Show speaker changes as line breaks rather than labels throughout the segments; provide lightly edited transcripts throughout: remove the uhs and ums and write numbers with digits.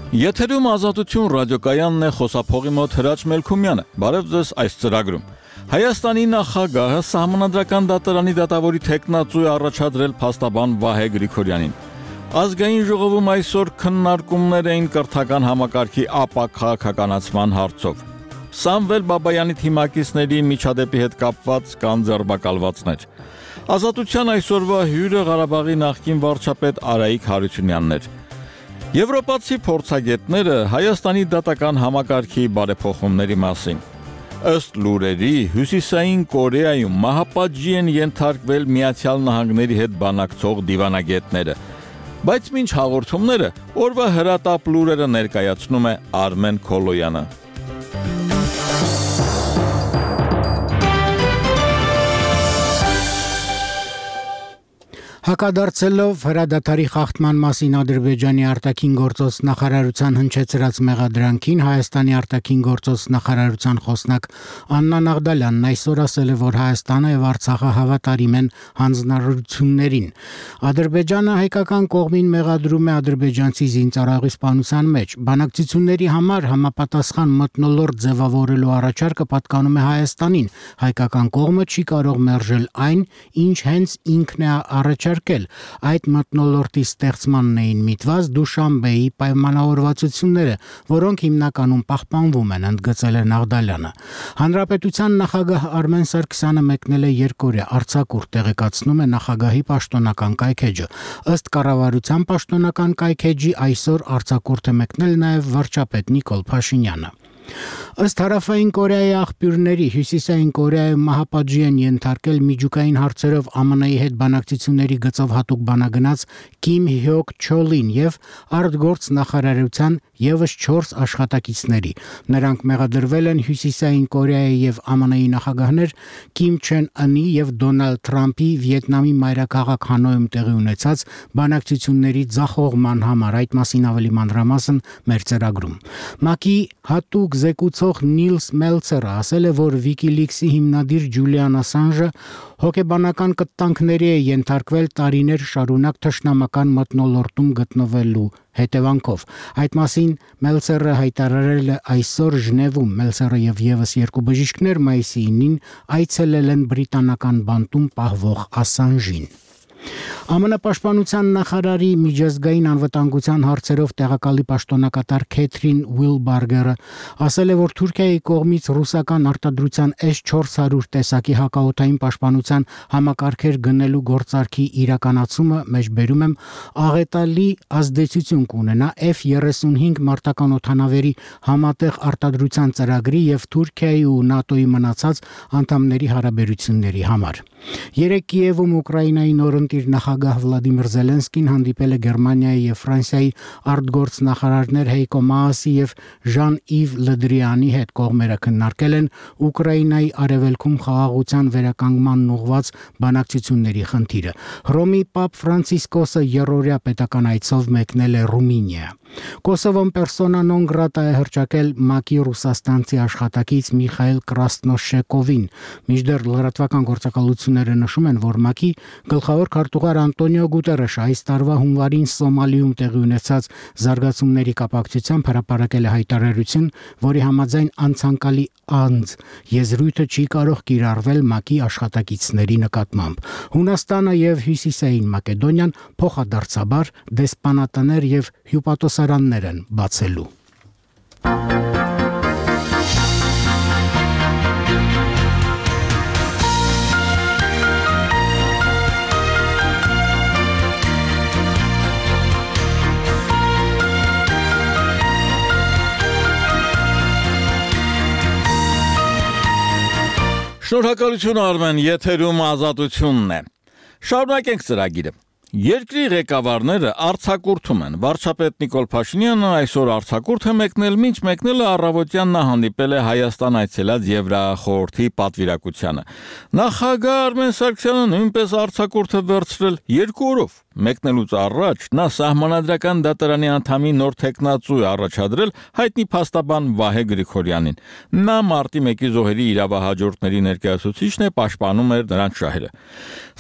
Եթերում Ազատություն ռադիոկայանն է, խոսափողի մոտ Հրաչ Մելքումյանը։ Բարև ձեզ այս ծրագրում։ Հայաստանի նախագահը Սահմանադրական դատարանի դատավորի թեկնածու է առաջադրել փաստաբան Վահե Գրիգորյանին։ Ազգային ժողովում այսօր քննարկումներ էին կրթական համակարգի ապա քաղաքականացման հարցով։ Սամվել Բաբայանի թիմակիցների միջադեպի հետ կապված կան ձերբակալվածներ։ Ազատության այսօրվա հյուրը Ղարաբաղի նախկին վարչապետ Արայիկ Հարությունյանն էր։ Եվրոպացի փորձագետները Հայաստանի դատական համակարգի բարեփոխումների մասին։ Ըստ լուրերի, Հյուսիսային Կորեայում մահապատժի են ենթարկվել Միացյալ Նահանգների հետ բանակցող դիվանագետները։ Բայց մինչ հաղորդումները, օրվա հրատապ լուրերը ներկայացնում է Արմեն Քոլոյանը։
Հակադարձելով հրադադարի խախտման մասին Ադրբեջանի արտաքին գործոս նախարարության հնչեցրած մեղադրանքին, Հայաստանի արտաքին գործոս նախարարության խոսնակ Աննա Նաղդալյանն այսօր ասել է, որ Հայաստանը եւ Արցախը հավատարիմ են հանձնարարություններին։ Ադրբեջանը հայկական կողմին մեղադրում է ադրբեջանցի զինծառայողի սպանության մեջ։ Բանակցությունների համար համապատասխան մթնոլորտ ձևավորելու առաջարկը պատկանում է Հայաստանին։ Հայկական կողմը չի կարող մերժել այն, ինչ հենց ինքն է առաջարկել։ Այդ մթնոլորտի ստեղծմանն էին միտված Դուշանբեի պայմանավորվածությունները, որոնք հիմնականում պահպանվում են, ընդգծել է Նաղդալյանը։ Հանրապետության նախագահ Արմեն Սարգսյանը մեկնել է երկօրյա արձակուրդ, տեղեկացնում է նախագահի պաշտոնական կայքէջը։ Ըստ կառավարության պաշտոնական կայքէջի այսօր արձակուրդ է մեկնել նաև վարչապետ Նիկոլ Փաշինյանը։ Ըստ Հարավային Կորեայի աղբյուրների, Հյուսիսային Կորեայում մահապատժի են ենթարկել միջուկային հարցերով ԱՄՆ-ի հետ բանակցությունների գծով հատուկ բանագնաց Կիմ Հյոկ Չոլին եւ արտգործ նախարարության եւս 4 աշխատակիցների։ Նրանք մեղադրվել են Հյուսիսային Կորեայի եւ ԱՄՆ-ի նախագահներ Կիմ Չեն Ընի եւ Դոնալդ Թրամփի Վիետնամի մայրաքաղաք Հանոյում տեղի ունեցած բանակցությունների ձախողման համար։ Այդ մասին ավելի մանրամասն մեր ծրագրում։ ՄԱԿ-ի հատուկ զեկուցող Նիլս Մելցերը ասել է, որ WikiLeaks-ի հիմնադիր Ջուլիան Ասանժը հոգեբանական կտանքների է ենթարկվել տարիներ շարունակ թշնամական մթնոլորտում գտնվելու հետևանքով։ Այդ մասին Մելցերը հայտարարել է այսօր Ժնևում։ Մելցերը եւ եւս 2 բժիշկներ մայիսի 9-ին այցելել են բրիտանական բանտում պահվող Ասանժին։ ԱՄՆ պաշտպանության նախարարի միջազգային անվտանգության հարցերով տեղակալի պաշտոնակատար Քեթրին Ուիլբարգերը ասել է, որ Թուրքիայի կողմից ռուսական արտադրության S-400 տեսակի հակաօդային պաշտպանության համակարգեր գնելու գործարքի իրականացումը, մեջբերում եմ, աղետալի ազդեցություն կունենա F-35 մարտական օդանավերի համատեղ արտադրության ծրագրի եւ Թուրքիայի ու ՆԱՏՕ-ի մնացած անդամների հարաբերությունների համար։ Երեկ Կիևում Ուկրաինայի նորընտիր նախագահ Վլադիմիր Զելենսկին հանդիպել է Գերմանիայի եւ Ֆրանսիայի արտգործ նախարարներ Հեյկո Մաասի եւ Ժան-Իվ Լդրիանի հետ։ Կողմերը քննարկել են Ուկրաինայի արևելքում խաղաղության վերականգմանն ուղղված բանակցությունների խնդիրը։ Հռոմի Պապ Ֆրանցիսկոսը երրորդյա պետական այցով մեկնել է Ռումինիա։ Կոսովոն persona non grata է հռչակել ՄԱԿ-ի ռուսաստանցի աշխատակից Միխայել Կրասնոշեկովին։ Մինչդեռ լրատվական գործակալությունները նշում են, որ ՄԱԿ-ի գլխավոր քարտուղար Անտոնիո Գուտերեշը այս տարվա հունվարին Սոմալիում տեղի ունեցած զարգացումների կապակցությամբ հրապարակել է հայտարարություն, որի համաձայն անցանկալի անձ եզրույթը չի կարող կիրառվել ՄԱԿ-ի աշխատակիցների նկատմամբ։ Հունաստանը եւ Հյուսիսային Մակեդոնիան փոխադարձաբար դեսպանատներ եւ հյուպատոսարաններ են բացելու։
Շնորհակալություն Արմեն, եթերում Ազատությունն է։ Շարունակենք ծրագիրը։ Երկրի ղեկավարները արձակուրդում են։ Վարչապետ Նիկոլ Փաշինյանը այսօր արձակուրդ է մեկնել, մինչ մեկնելը առավոտյան նա հանդիպել է Հայաստան այցելած Եվրախորհրդի պատվիրակությանը։ Նախագահ Արմեն Սարգսյանը նույնպես արձակուրդ է վերցրել 2 օրով։ Մեկնելուց առաջ նա Սահմանադրական դատարանի անդամի նոր թեկնածու է առաջադրել հայտնի փաստաբան Վահե Գրիգորյանին։ Նա մարտի 1-ի զոհերի իրավահաջորդների ներկայացուցիչն է, պաշտպանում էր նրանց շահերը։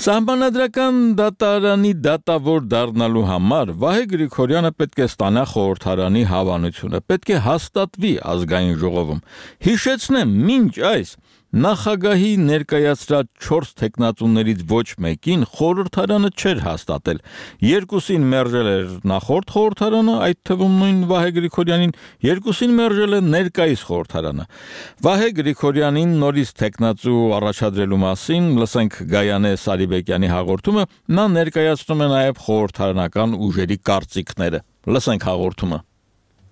Սահմանադրական դատարանի դատավոր դառնալու համար Վահե Գրիգորյանը պետք է ստանա խորհրդարանի հավանությունը, պետք է հաստատվի ազգային ժողովում։ Հիշեցնեմ, մինչ այս Նախագահի ներկայացրած 4 թեկնածուներից ոչ մեկին խորհրդարանը չէր հաստատել։ Երկուսին մերժել էր նախորդ խորհրդարանը, այդ թվում նույն Վահե Գրիգորյանին, երկուսին մերժել է ներկայիս խորհրդարանը։ Վահե Գրիգորյանին նորից թեկնածու առաջադրելու մասին լսենք Գայանե Սարիբեկյանի հաղորդումը, նա ներկայացնում է նաև խորհրդարանական ուժերի կարծիքները։ Լսենք հաղորդումը։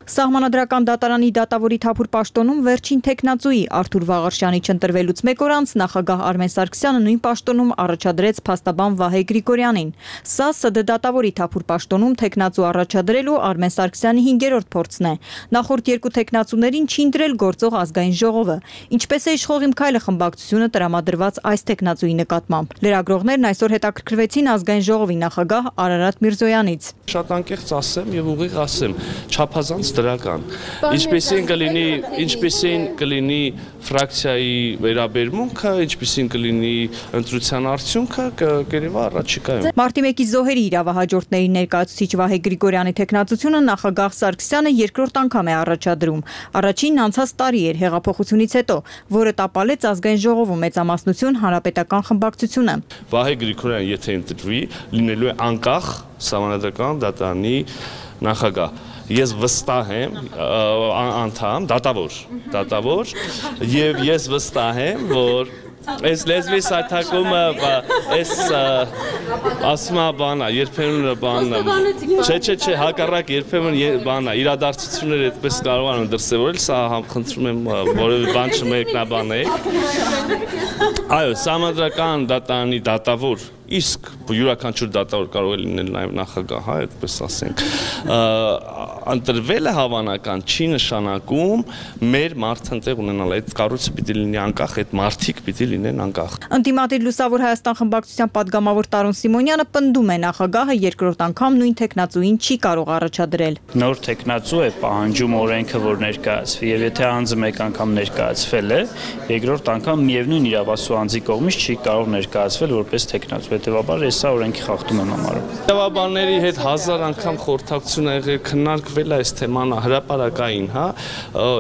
Սահմանադրական դատարանի դատավորի թափուր պաշտոնում վերջին թեկնածուի Արթուր Վաղարշյանի չընտրվելուց մեկ օր անց նախագահ Արմեն Սարգսյանը նույն պաշտոնում առաջադրեց փաստաբան Վահե Գրիգորյանին։ Սա ՍԴ դատավորի թափուր պաշտոնում թեկնածու առաջադրելու Արմեն Սարգսյանի 5-րդ փորձն է։ Նախորդ երկու թեկնածուներին չի ընտրել գործող ազգային ժողովը։ Ինչպես է իշխող Իմ քայլը խմբակցությունը տրամադրված այս թեկնածուի նկատմամբ։ Լրագրողներն այսօր հետաքրքրվեցին ազգային ժողովի նախագահ Արարատ Միրզոյանից։
Շատ անկեղծ ասեմ եւ ուղիղ ասեմ, չափազանց դրական։ Ինչպեսին կլինի ֆրակցիայի վերաբերմունքը, ինչպեսին կլինի ընտրության արդյունքը, կերևա առաջիկայում։
Մարտի 1-ի զոհերի իրավահաջորդների ներկայացուցիչ Վահե Գրիգորյանի թեկնածությունը նախագահ Սարգսյանը երկրորդ անգամ է առաջադրում։ Առաջինն անցած տարի էր հեղափոխությունից հետո, որը տապալեց ազգային ժողովում մեծամասնություն հանրապետական խմբակցությունը։
Վահե Գրիգորյանը եթե ընտրվի, լինելու է անկախ Սահմանադրական դատարանի նախագահ։ Ես վստահ եմ, անդամ, դատավոր, եւ ես վստահ եմ, որ այս լեզվի սայթակումը, այս ասմա բանա, երբեմն բանա, չէ, հակառակ երբեմն բանա, իրադարձությունները այդպես կարող են դրսևորել, սա խնդրում եմ որևէ բան չմեկնաբանեք։ Այո, Սահմանադրական դատարանի դատավոր, իսկ յուրաքանչյուր դատավոր կարող է լինել նաև նախագահ, այդպես ասենք, ընտրվելը հավանական չի նշանակում մեր մարդընտեղ ունենալ, այդ կառույցը պիտի լինի անկախ, այդ մարդիկ պիտի լինեն անկախ։
Ընդդիմադիր Լուսավոր Հայաստան խմբակցության падգամավոր Տարոն Սիմոնյանը պնդում է նախագահը երկրորդ անգամ նույն թեկնածուին չի կարող առաջադրել։
Նոր թեկնածու է պահանջում օրենքը, որ ներկայացվի, եւ եթե անձը մեկ անգամ ներկայացվել է, երկրորդ անգամ միևնույն իրավասու անձի կողմից չի կարող ներկայացվել որպես թեկնածու, հետեւաբար ես սա օրենքի խախտում եմ համարում։
Իրավաբանների հետ 1000 անգամ խորհրդակցություն ա եղել, քննարկվել այս թեման հրապարակային, հա,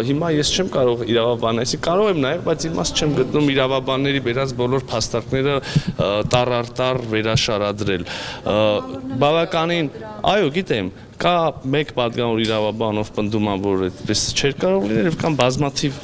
հիմա ես չեմ կարող իրավաբանեսի, կարող եմ նաև, բայց իմաստ չեմ գտնում իրավաբանների վերած բոլոր փաստարկները տառ վերաշարադրել։ Բավականին, այո, գիտեմ, կա մեկ падգամավոր իրավաբանով պնդում ա, որ այդպես չէր կարող լինել, եւ կան բազմաթիվ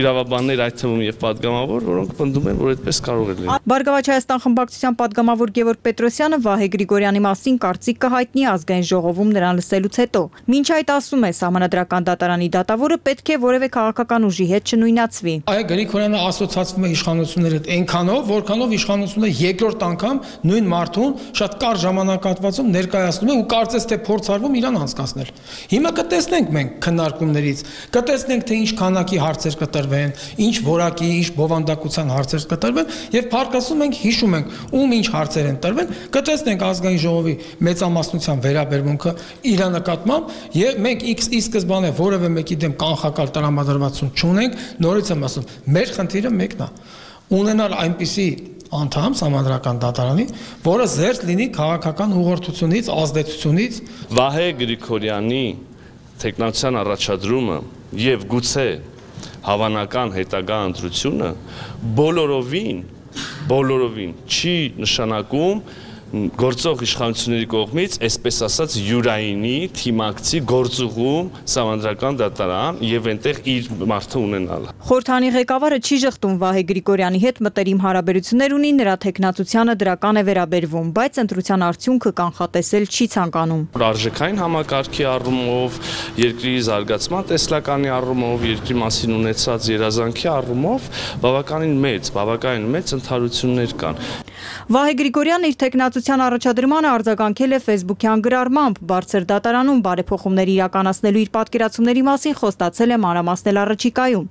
իրավաբաններ, այդ թվում եւ падգամավոր, որոնք պնդում են, որ այդպես կարող է լինել։
Բարգավաճ Հայաստան խմբակցության падգամավոր Գևորգ Պետրոսյանը Վահե Գրիգորյանի մասին կարծիք կհայտնի ազգային ժողովում նրան լսելուց հետո։ Մինչ այդ ասում է, Սահմանադրական դատարանի դատավորը պետք է որևէ քաղաքական ուժի հետ չնույնացվի։
Այո, Գրիգորյանը ասոցացվում է իշխանությունների հետ այնքանով, որքանով իշխանությունը երկրորդ անգամ նույն մարդուն շատ կարճ ժամանակահատվածում ներկայացնում է ու կարծես թե փորձարվում իրան անցկացնել։ Հիմա կտեսնենք մենք քննարկումներից, կտեսնենք թե ինչ քանակի հարցեր կտրվեն, ինչ որակի, ինչ բովանդակության հարցեր կտրվեն եւ փառքասում ենք, հիշում ենք ում ինչ հարցեր են տրվել, կտեսնենք ազգային ժողովի մեծամասնության վերաբերմունքը իր նկատմամբ եւ մենք ի սկզբանե որևէ մեկի դեմ կանխակալ տրամադրվածություն չունենք, նորից եմ ասում, մեր խնդիրը մեկն է, ունենալ այնպիսի անդամ Սահմանադրական դատարանի, որը զերծ լինի քաղաքական ուղղորդությունից, ազդեցությունից։
Վահե Գրիգորյանի թեկնածության առաջադրումը եւ գուցե հավանական հետագա ընտրությունը բոլորովին չի նշանակում գործող իշխանությունների կողմից, այսպես ասած, յուրայինի թիմակցի գործուղում Սահմանադրական դատարան եւ այնտեղ իր մարդը ունենալ։
Խորհրդանի ղեկավարը չի ժխտում Վահե Գրիգորյանի հետ մտերիմ հարաբերություններ ունի, նրա թեկնածությանը դրական է վերաբերվում, բայց ընտրության արդյունքը կանխատեսել չի ցանկանում։
Արժեքային համակարգի առումով, երկրի զարգացման տեսլականի առումով, երկրի մասին ունեցած երազանքի առումով բավականին մեծ ընդհանրություններ կան։
Վահե Գրիգորյանն իր տեխնացության առաջադրմանը արձագանքել է Facebook-յան գրառմամբ, բարձր դատարանում բարեփոխումներ իրականացնելու իր պատկերացումների մասին խոստացել է մանրամասնել առաջիկայում։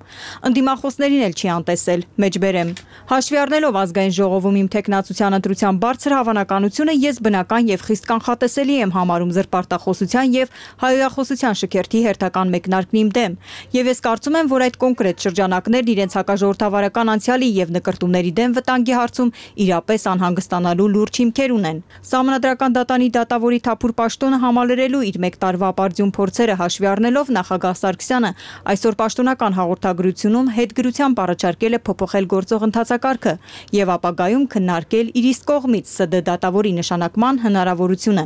Ընդդիմախոսներին էլ չի անտեսել, մեջբերեմ։ Հաշվի առնելով ազգային ժողովում իմ տեխնացության ընտրության բարձր հավանականությունը, ես բնական եւ խիստ կանխատեսելի եմ համարում զրպարտախոսության եւ հայոյախոսության շքերթի հերթական մեկնարկն իմ դեմ, եւ ես կարծում եմ, որ այդ կոնկրետ շրջանակներն իրենց հակաժողովրդավարական անցյալի եւ նկրտումների դեմ վտանգի հարցում իրապես անհանգստանալու լուրջ հիմքեր ունեն։ Սահմանադրական դատանի դատավորի թափուր պաշտոնը համալրելու իր մեկ տարվա ապարդյուն փորձերը հաշվի առնելով նախագահ Սարգսյանը այսօր պաշտոնական հաղորդագրությունում հետգրությամբ առաջարկել է փոփոխել գործող ընթացակարգը եւ ապագայում քննարկել իր իսկ կողմից ՍԴ դատավորի նշանակման հնարավորությունը։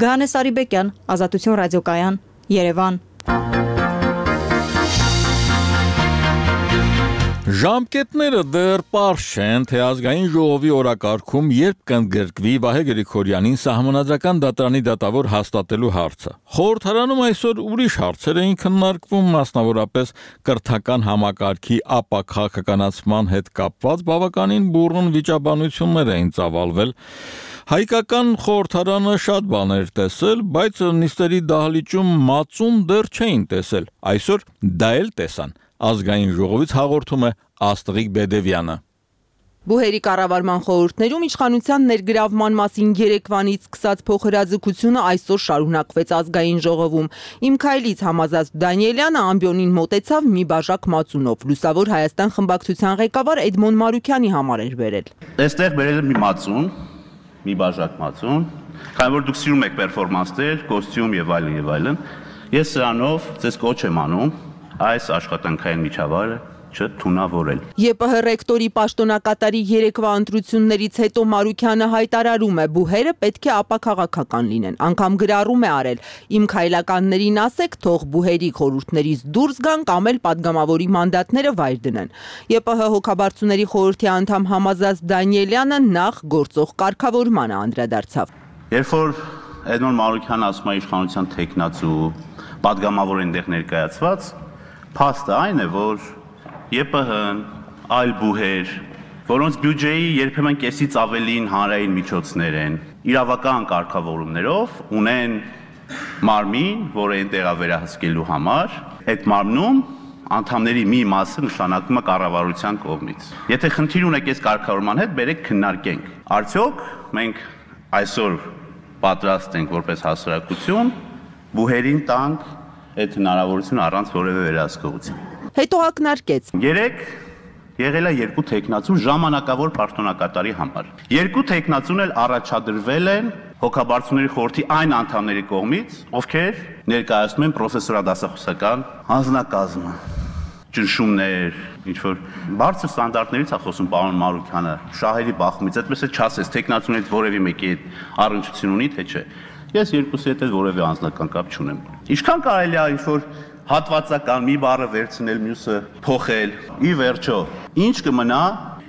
Գահանե Սարիբեկյան, Ազատություն ռադիոկայան, Երևան։
Ժամկետները դեռ պարզ չեն, թե ազգային ժողովի օրակարգում երբ կընդգրկվի Վահե Գրիգորյանին սահմանադրական դատարանի դատավոր հաստատելու հարցը։ Խորհրդարանում այսօր ուրիշ հարցեր էին քննարկվում, մասնավորապես կրթական համակարգի ապաքաղաքականացման հետ կապված բավականին բուռն վիճաբանություններ էին ծավալվել։ Հայկական խորհրդարանը շատ բաներ տեսել, բայց նիստերի դահլիճում մածուն դեռ չէին տեսել։ Այսօր դա էլ տեսան։ Ազգային ժողովից հաղորդում է Աստղիկ Բեդևյանը։
Բուհերի կառավարման խորհուրդներում իշխանության ներգրավման մասին երեկվանից սկսած փոխհրաձգությունը այսօր շարունակվեց ազգային ժողովում։ Իմ քայլից Համազազմ Դանիելյանը ամբիոնին մոտեցավ մի բաժակ մածունով։ Լուսավոր Հայաստան խմբակցության ղեկավար Էդմոն Մարուքյանի համար էր բերել։
Այստեղ բերել եմ մի մածուն, մի բաժակ մածուն, քանի որ դուք սիրում եք պերֆորմանսներ, կոստյում եւ այլն, ես սրանով ձեզ կոչ եմ անում այս աշխատանքային միջավայրը չթունավորել։ ԵՊՀ
ռեկտորի պաշտոնակատարի երեկվա ընտրություններից հետո Մարուքյանը հայտարարում է, բուհերը պետք է ապաքաղաքական լինեն, անգամ գրառում է արել, իմ քայլականներին ասեք, թող բուհերի խորհուրդներից դուրս գան կամ էլ падգամավորի մանդատները վայր դնեն։ ԵՊՀ հոգաբարձուների խորհրդի անդամ Համազազմ Դանիելյանը նախ գործող կարգավորմանը անդրադարձավ։
Երբ որ Էդմոն Մարուքյանը ասում է իշխանության տեխնացու, падգամավոր այնտեղ ներկայացված, փաստը այն է, որ ԵՊՀ-ն, այլ բուհեր, որոնց բյուջեի երբեմն կեսից ավելին հանրային միջոցներ են, իրավական կարգավորումներով ունեն մարմին, որը այնտեղ վերահսկելու համար, այդ մարմնում անդամների մի մասը նշանակվում է կառավարության կողմից։ Եթե խնդիր ունեք այս կարգավորման հետ, բերեք քննարկենք։ Արդյոք մենք այսօր պատրաստ ենք որպես հասարակություն բուհերին տանք այդ հնարավորությունը առանց որևէ վերահսկողության։
Հետո ակնարկեց.
Երեք եղել է երկու տեխնացու ժամանակավոր պաշտոնակատարի համար։ Երկու տեխնացուն էլ առաջադրվել են հոգաբարձուների խորհրդի այն անդամների կողմից, ովքեր ներկայացնում են պրոֆեսորադասախոսական հանձնակազմը։ Ճնշումներ, ինչ որ բարձր ստանդարտներից է խոսում պարոն Մարուքյանը, շահերի բախումից, այդպես է չասես, տեխնացուներից որևէ մեկի հետ առնչություն ունի, թե չէ։ Ես երկուսի հետ որևէ անձնական կապ չունեմ։ Ինչքան կարելի է ինչ-որ հատվածական մի բառը վերցնել, մյուսը փոխել։ Ի վերջո, ինչ կմնա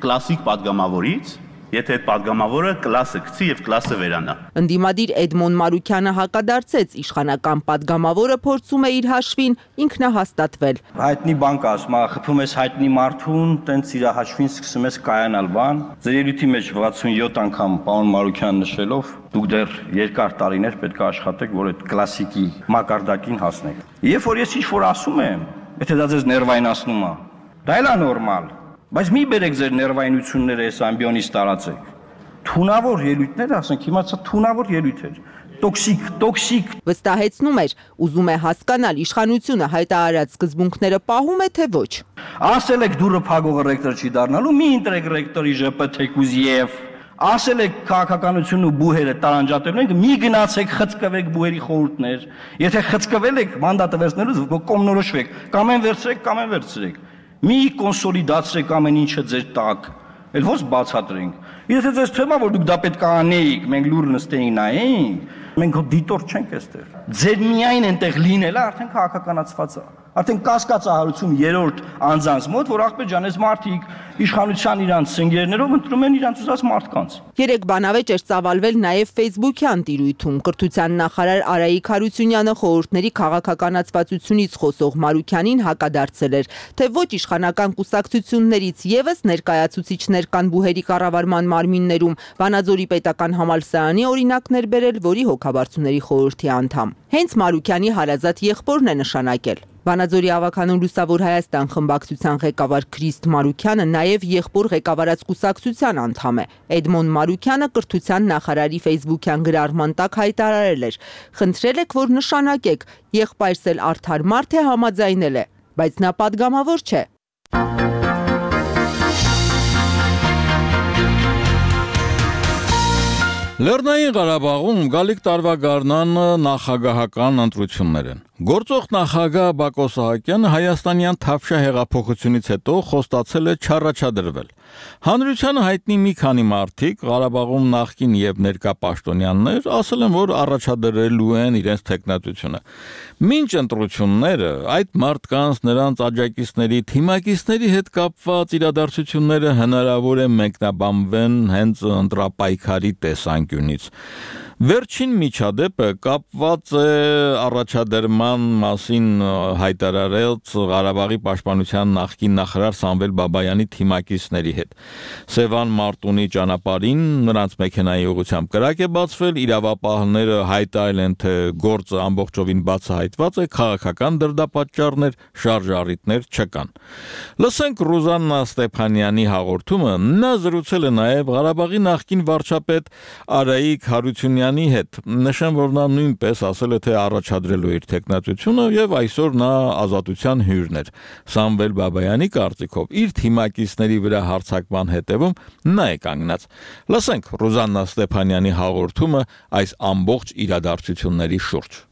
կլասիկ падգամավորից, եթե այդ падգամավորը կլասը գցի եւ կլասը վերանա։
Ընդդիմադիր Էդմոն Մարուքյանը հակադարձեց, իշխանական падգամավորը փորձում է իր հաշվին ինքնահաստատվել։
Հայտնի բան կա, ասում, խփում ես հայտնի մարդուն, տենց իր հաշվին սկսում ես կայանալ բան։ Ձեր ելույթի մեջ 67 անգամ պարոն Մարուքյան նշելով, դուք դեռ երկար տարիներ պետք է աշխատեք, որ այդ կլասիկի մակարդակին հասնեք։ Երբ որ ես ինչ-որ ասում եմ, եթե դա ձեզ ներվայնացնում է, դա էլ է նորմալ։ Բայց մի բերեք ձեր ներվայնությունները այս ամբիոնից տարածեք։ Թունավոր ելույթներ, ասենք, հիմա ցա թունավոր ելույթ էր։ Տոքսիկ։
Վստահեցնում էր, ուզում է հասկանալ իշխանությունը հայտարարած սկզբունքները պահում է թե ոչ։
Ասել եք դուրը փակողը ռեկտոր չի դառնալու, մի ընտրեք ռեկտորի ԺՊ թեկուզ եւ ասել եք քաղաքականությունն ու բուհերը տարանջատելու են, մի գնացեք խցկվեք բուհերի խորհուրդներ։ Եթե խցկվել եք մանդատը վերցնելուց կողմնորոշվեք, կամ են վերցրեք։ Մի կոնսոլիդացրեք ամեն ինչը ձեր տակ, էլ ոնց բացատրենք։ Եթե ձեզ թվում է, որ դուք դա պետք է անեիք, մենք լուր նստեինք նայենք, մենք դիտորդ չենք այստեղ։ Ձեր միայն այնտեղ լինելը արդեն քաղաքականացված է։ Արդեն կասկածահարություն երրորդ անձանց մոտ, որ ախպեր ջան, այս մարդիկ իշխանության իրանց սնգերներով ընտրում են իրանց ուզած մարդկանց։
Երեք բանավեճ էր ծավալվել նաև Facebook-յան տիրույթում։ Կրթության նախարար Արայիկ Հարությունյանը խորհուրդների քաղաքականացվածությունից խոսող Մարուքյանին հակադարձել էր, թե ոչ իշխանական կուսակցություններից եւս ներկայացուցիչներ կան բուհերի կառավարման մարմիններում, Վանաձորի պետական համալսարանի օրինակներ բերել, որի հոգաբարձուների խորհրդի անդամ։ Հենց Մարուքյանի հարազատ եղբորն է նշանակել։ Վանաձորի ավականուն Լուսավոր Հայաստան խմբակցության ղեկավար Քրիստ Մարուքյանը նաև եղբոր ղեկավարած կուսակցության անդամ է։ Էդմոն Մարուքյանը կրթության նախարարի Facebook-յան գրառման տակ հայտարարել էր. «Խնդրել եք, որ նշանակեք, եղբայրս էլ արդար մարդ է, համաձայնել է, բայց նա պատգամավոր չէ»։
Լեռնային Ղարաբաղում գալիք տարվա գարնանը նախագահական ընտրություններ են։ Գործող նախագահ Բակո Սահակյանը հայաստանյան Թավշյա հեղափոխությունից հետո խոստացել է չառաջադրվել։ Հանրությանը հայտնի մի քանի մարդիկ Ղարաբաղում նախկին եւ ներկա պաշտոնյաներ ասել են, որ առաջադրելու են իրենց թեկնածությունը։ Մինչ ընտրությունները այդ մարդկանց, նրանց աջակիցների, թիմակիցների հետ կապված իրադարձությունները հնարավոր է մեկնաբանվեն հենց ընտրապայքարի տեսանկյունից։ Վերջին միջադեպը կապված է առաջադրման մասին հայտարարած Ղարաբաղի պաշտպանության նախկին նախարար Սամվել Բաբայանի թիմակիցների հետ։ Սևան Մարտունի ճանապարհին նրանց մեքենայի ուղղությամբ կրակ է բացվել, իրավապահները հայտարարել են, թե գործը ամբողջովին բացահայտված է, քաղաքական դրդապատճառներ, շարժառիթներ չկան։ Լսենք Ռուզաննա Ստեփանյանի հաղորդումը, նա զրուցել է նաև Ղարաբաղի նախկին վարչապետ Արայիկ Հարությունյանի հետ, նշեմ, որ նա նույնպես ասել է, թե առաջադրելու իր թեկնածությունը եւ այսօր նա ազատության հյուրն էր։ Սամվել Բաբայանի կարծիքով իր թիմակիցների վրա հարձակման հետևում նա է կանգնած։ Լսենք Ռուզաննա Ստեփանյանի հաղորդումը այս ամբողջ իրադարձությունների շուրջ։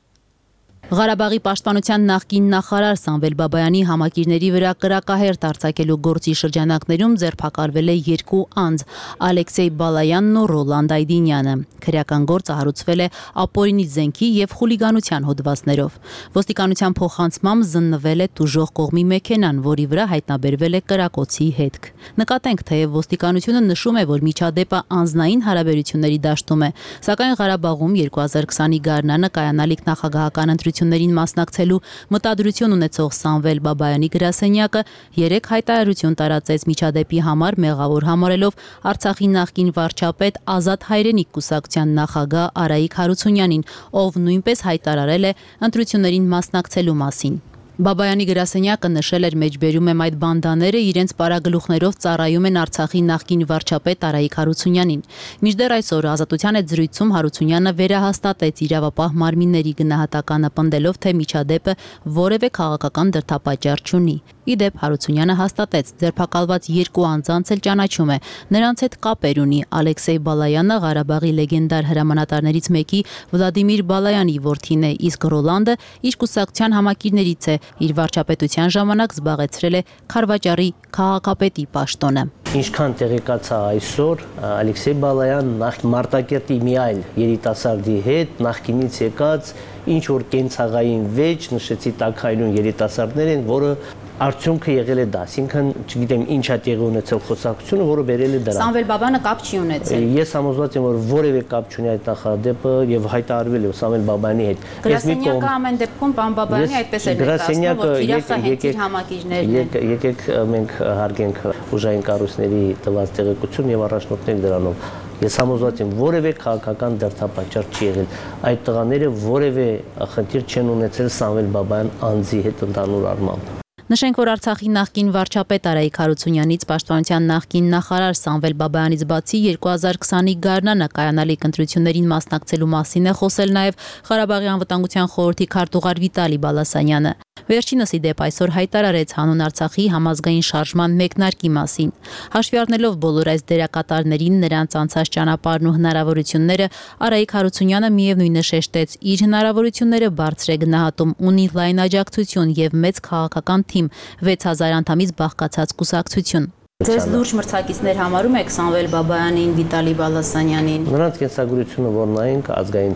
Ղարաբաղի պաշտպանության նախկին նախարար Սամվել Բաբայանի համակիրների վրա կրակահերթ արձակելու գործի շրջանակներում ձերբակալվել է երկու անձ՝ Ալեքսեյ Բալայանն ու Ռոլանդ Այդինյանը։ Քրեական գործը հարուցվել է ապօրինի զենքի եւ խուլիգանության հոդվածներով։ Ոստիկանության փոխանցմամբ զննվել է տուժող կողմի մեքենան, որի վրա հայտնաբերվել է կրակոցի հետք։ Նկատենք, թեև ոստիկանությունը նշում է, որ միջադեպը անձնային հարաբերությունների դաշտում է, սակայն Ղարաբաղում 2020-ի գարնանը կայանալիք նախագահական ընտրություններին մասնակցելու մտադրություն ունեցող Սամվել Բաբայանի գրասենյակը 3 հայտարարություն տարածեց միջադեպի համար մեղավոր համարելով Արցախի նախկին վարչապետ Ազատ Հայրենիք կուսակցության նախագահ Արայիկ Հարությունյանին, ով նույնպես հայտարարել է ընտրություններին մասնակցելու մասին։ Բաբայանի գրասենյակը նշել էր մեջբերում եմ այդ բանդաները իրենց պարագլուխներով ծառայում են Արցախի նախկին վարչապետ Արայիկ Հարությունյանին։ Մինչդեռ այսօր Ազատության հետ զրույցում Հարությունյանը վերահաստատեց իրավապահ մարմինների գնահատականը, պնդելով, թե միջադեպը որևէ քաղաքական դրդապատճառ չունի։ Իդեպ Հարությունյանը հաստատեց, ձերբակալված երկու անձանց էլ ճանաչում է։ Նրանց հետ կապեր ունի Ալեքսեյ Բալայանը, Ղարաբաղի լեգենդար հրամանատարներից մեկի Վլադիմիր Բալայանի որդին է, իսկ Ռոլանդը իր կուսակցության համակիրներից է։ Իր վարչապետության ժամանակ զբաղեցրել է Քարվաճառի քաղաքապետի պաշտոնը։
Ինչքան տեղեկացա այսօր, Ալեքսեյ Բալայանն նախ Մարտակերտի մի այլ երիտասարդի հետ նախկինից եկած ինչ որ կենցաղային վեճ, նշեցի տաքայնուն երիտասարդներ են, որը արդյունքը եղել է դա, այսինքն չգիտեմ ինչ է տեղի ունեցել խոսակցությունը, որը բերել է դրան։
Սամվել Բաբայանը կապ չի ունեցել։
Ես համոզված եմ, որ որևէ կապ չունի այդ նախադեպը եւ հայտարարվել է Սամվել Բաբայանի հետ։
Գրասենյակը ամեն դեպքում բան Բաբայանի այդպես էր ներկայացնում, որ իրախը հետ իր համակիրներն են։
Եկեք մենք հարգենք ուժային կառույցների տված տեղեկություն եւ առաջնորդներ դրանով։ Ես համոզված եմ, որևէ քաղաքական դրդապատճառ չի եղել։ Այդ տղաները որևէ խնդիր չեն ունեցել Սամվել Բաբայան անձի հետ ընդհանուր առմամբ։
Նշենք, որ Արցախի նախկին վարչապետ Արայիկ Հարությունյանից պաշտպանության նախկին նախարար Սամվել Բաբայանից բացի 2020-ի գարնանը կայանալիք ընտրություններին մասնակցելու մասին է խոսել նաև Ղարաբաղի անվտանգության խորհրդի քարտուղար Վիտալի Բալասանյանը։ Վերջինս ի դեպ այսօր հայտարարեց հանուն Արցախի համազգային շարժման մեկնարկի մասին։ Հաշվի առնելով բոլոր այս դերակատարներին, նրանց անցած ճանապարհն ու հնարավորությունները, Արայիկ Հարությունյանը միևնույնը շեշտեց, իր հնարավորությունները բարձր է գնահատում, ունի լայն աջակցություն եւ մեծ քաղաքական թիմ, 6000 անդամից բաղկացած կուսակցություն։ Ձեզ լուրջ մրցակիցներ համարում եք Սամվել Բաբայանին, Վիտալի Բալասանյանին։
Նրանց կենսագրությունը որ նայենք ազգային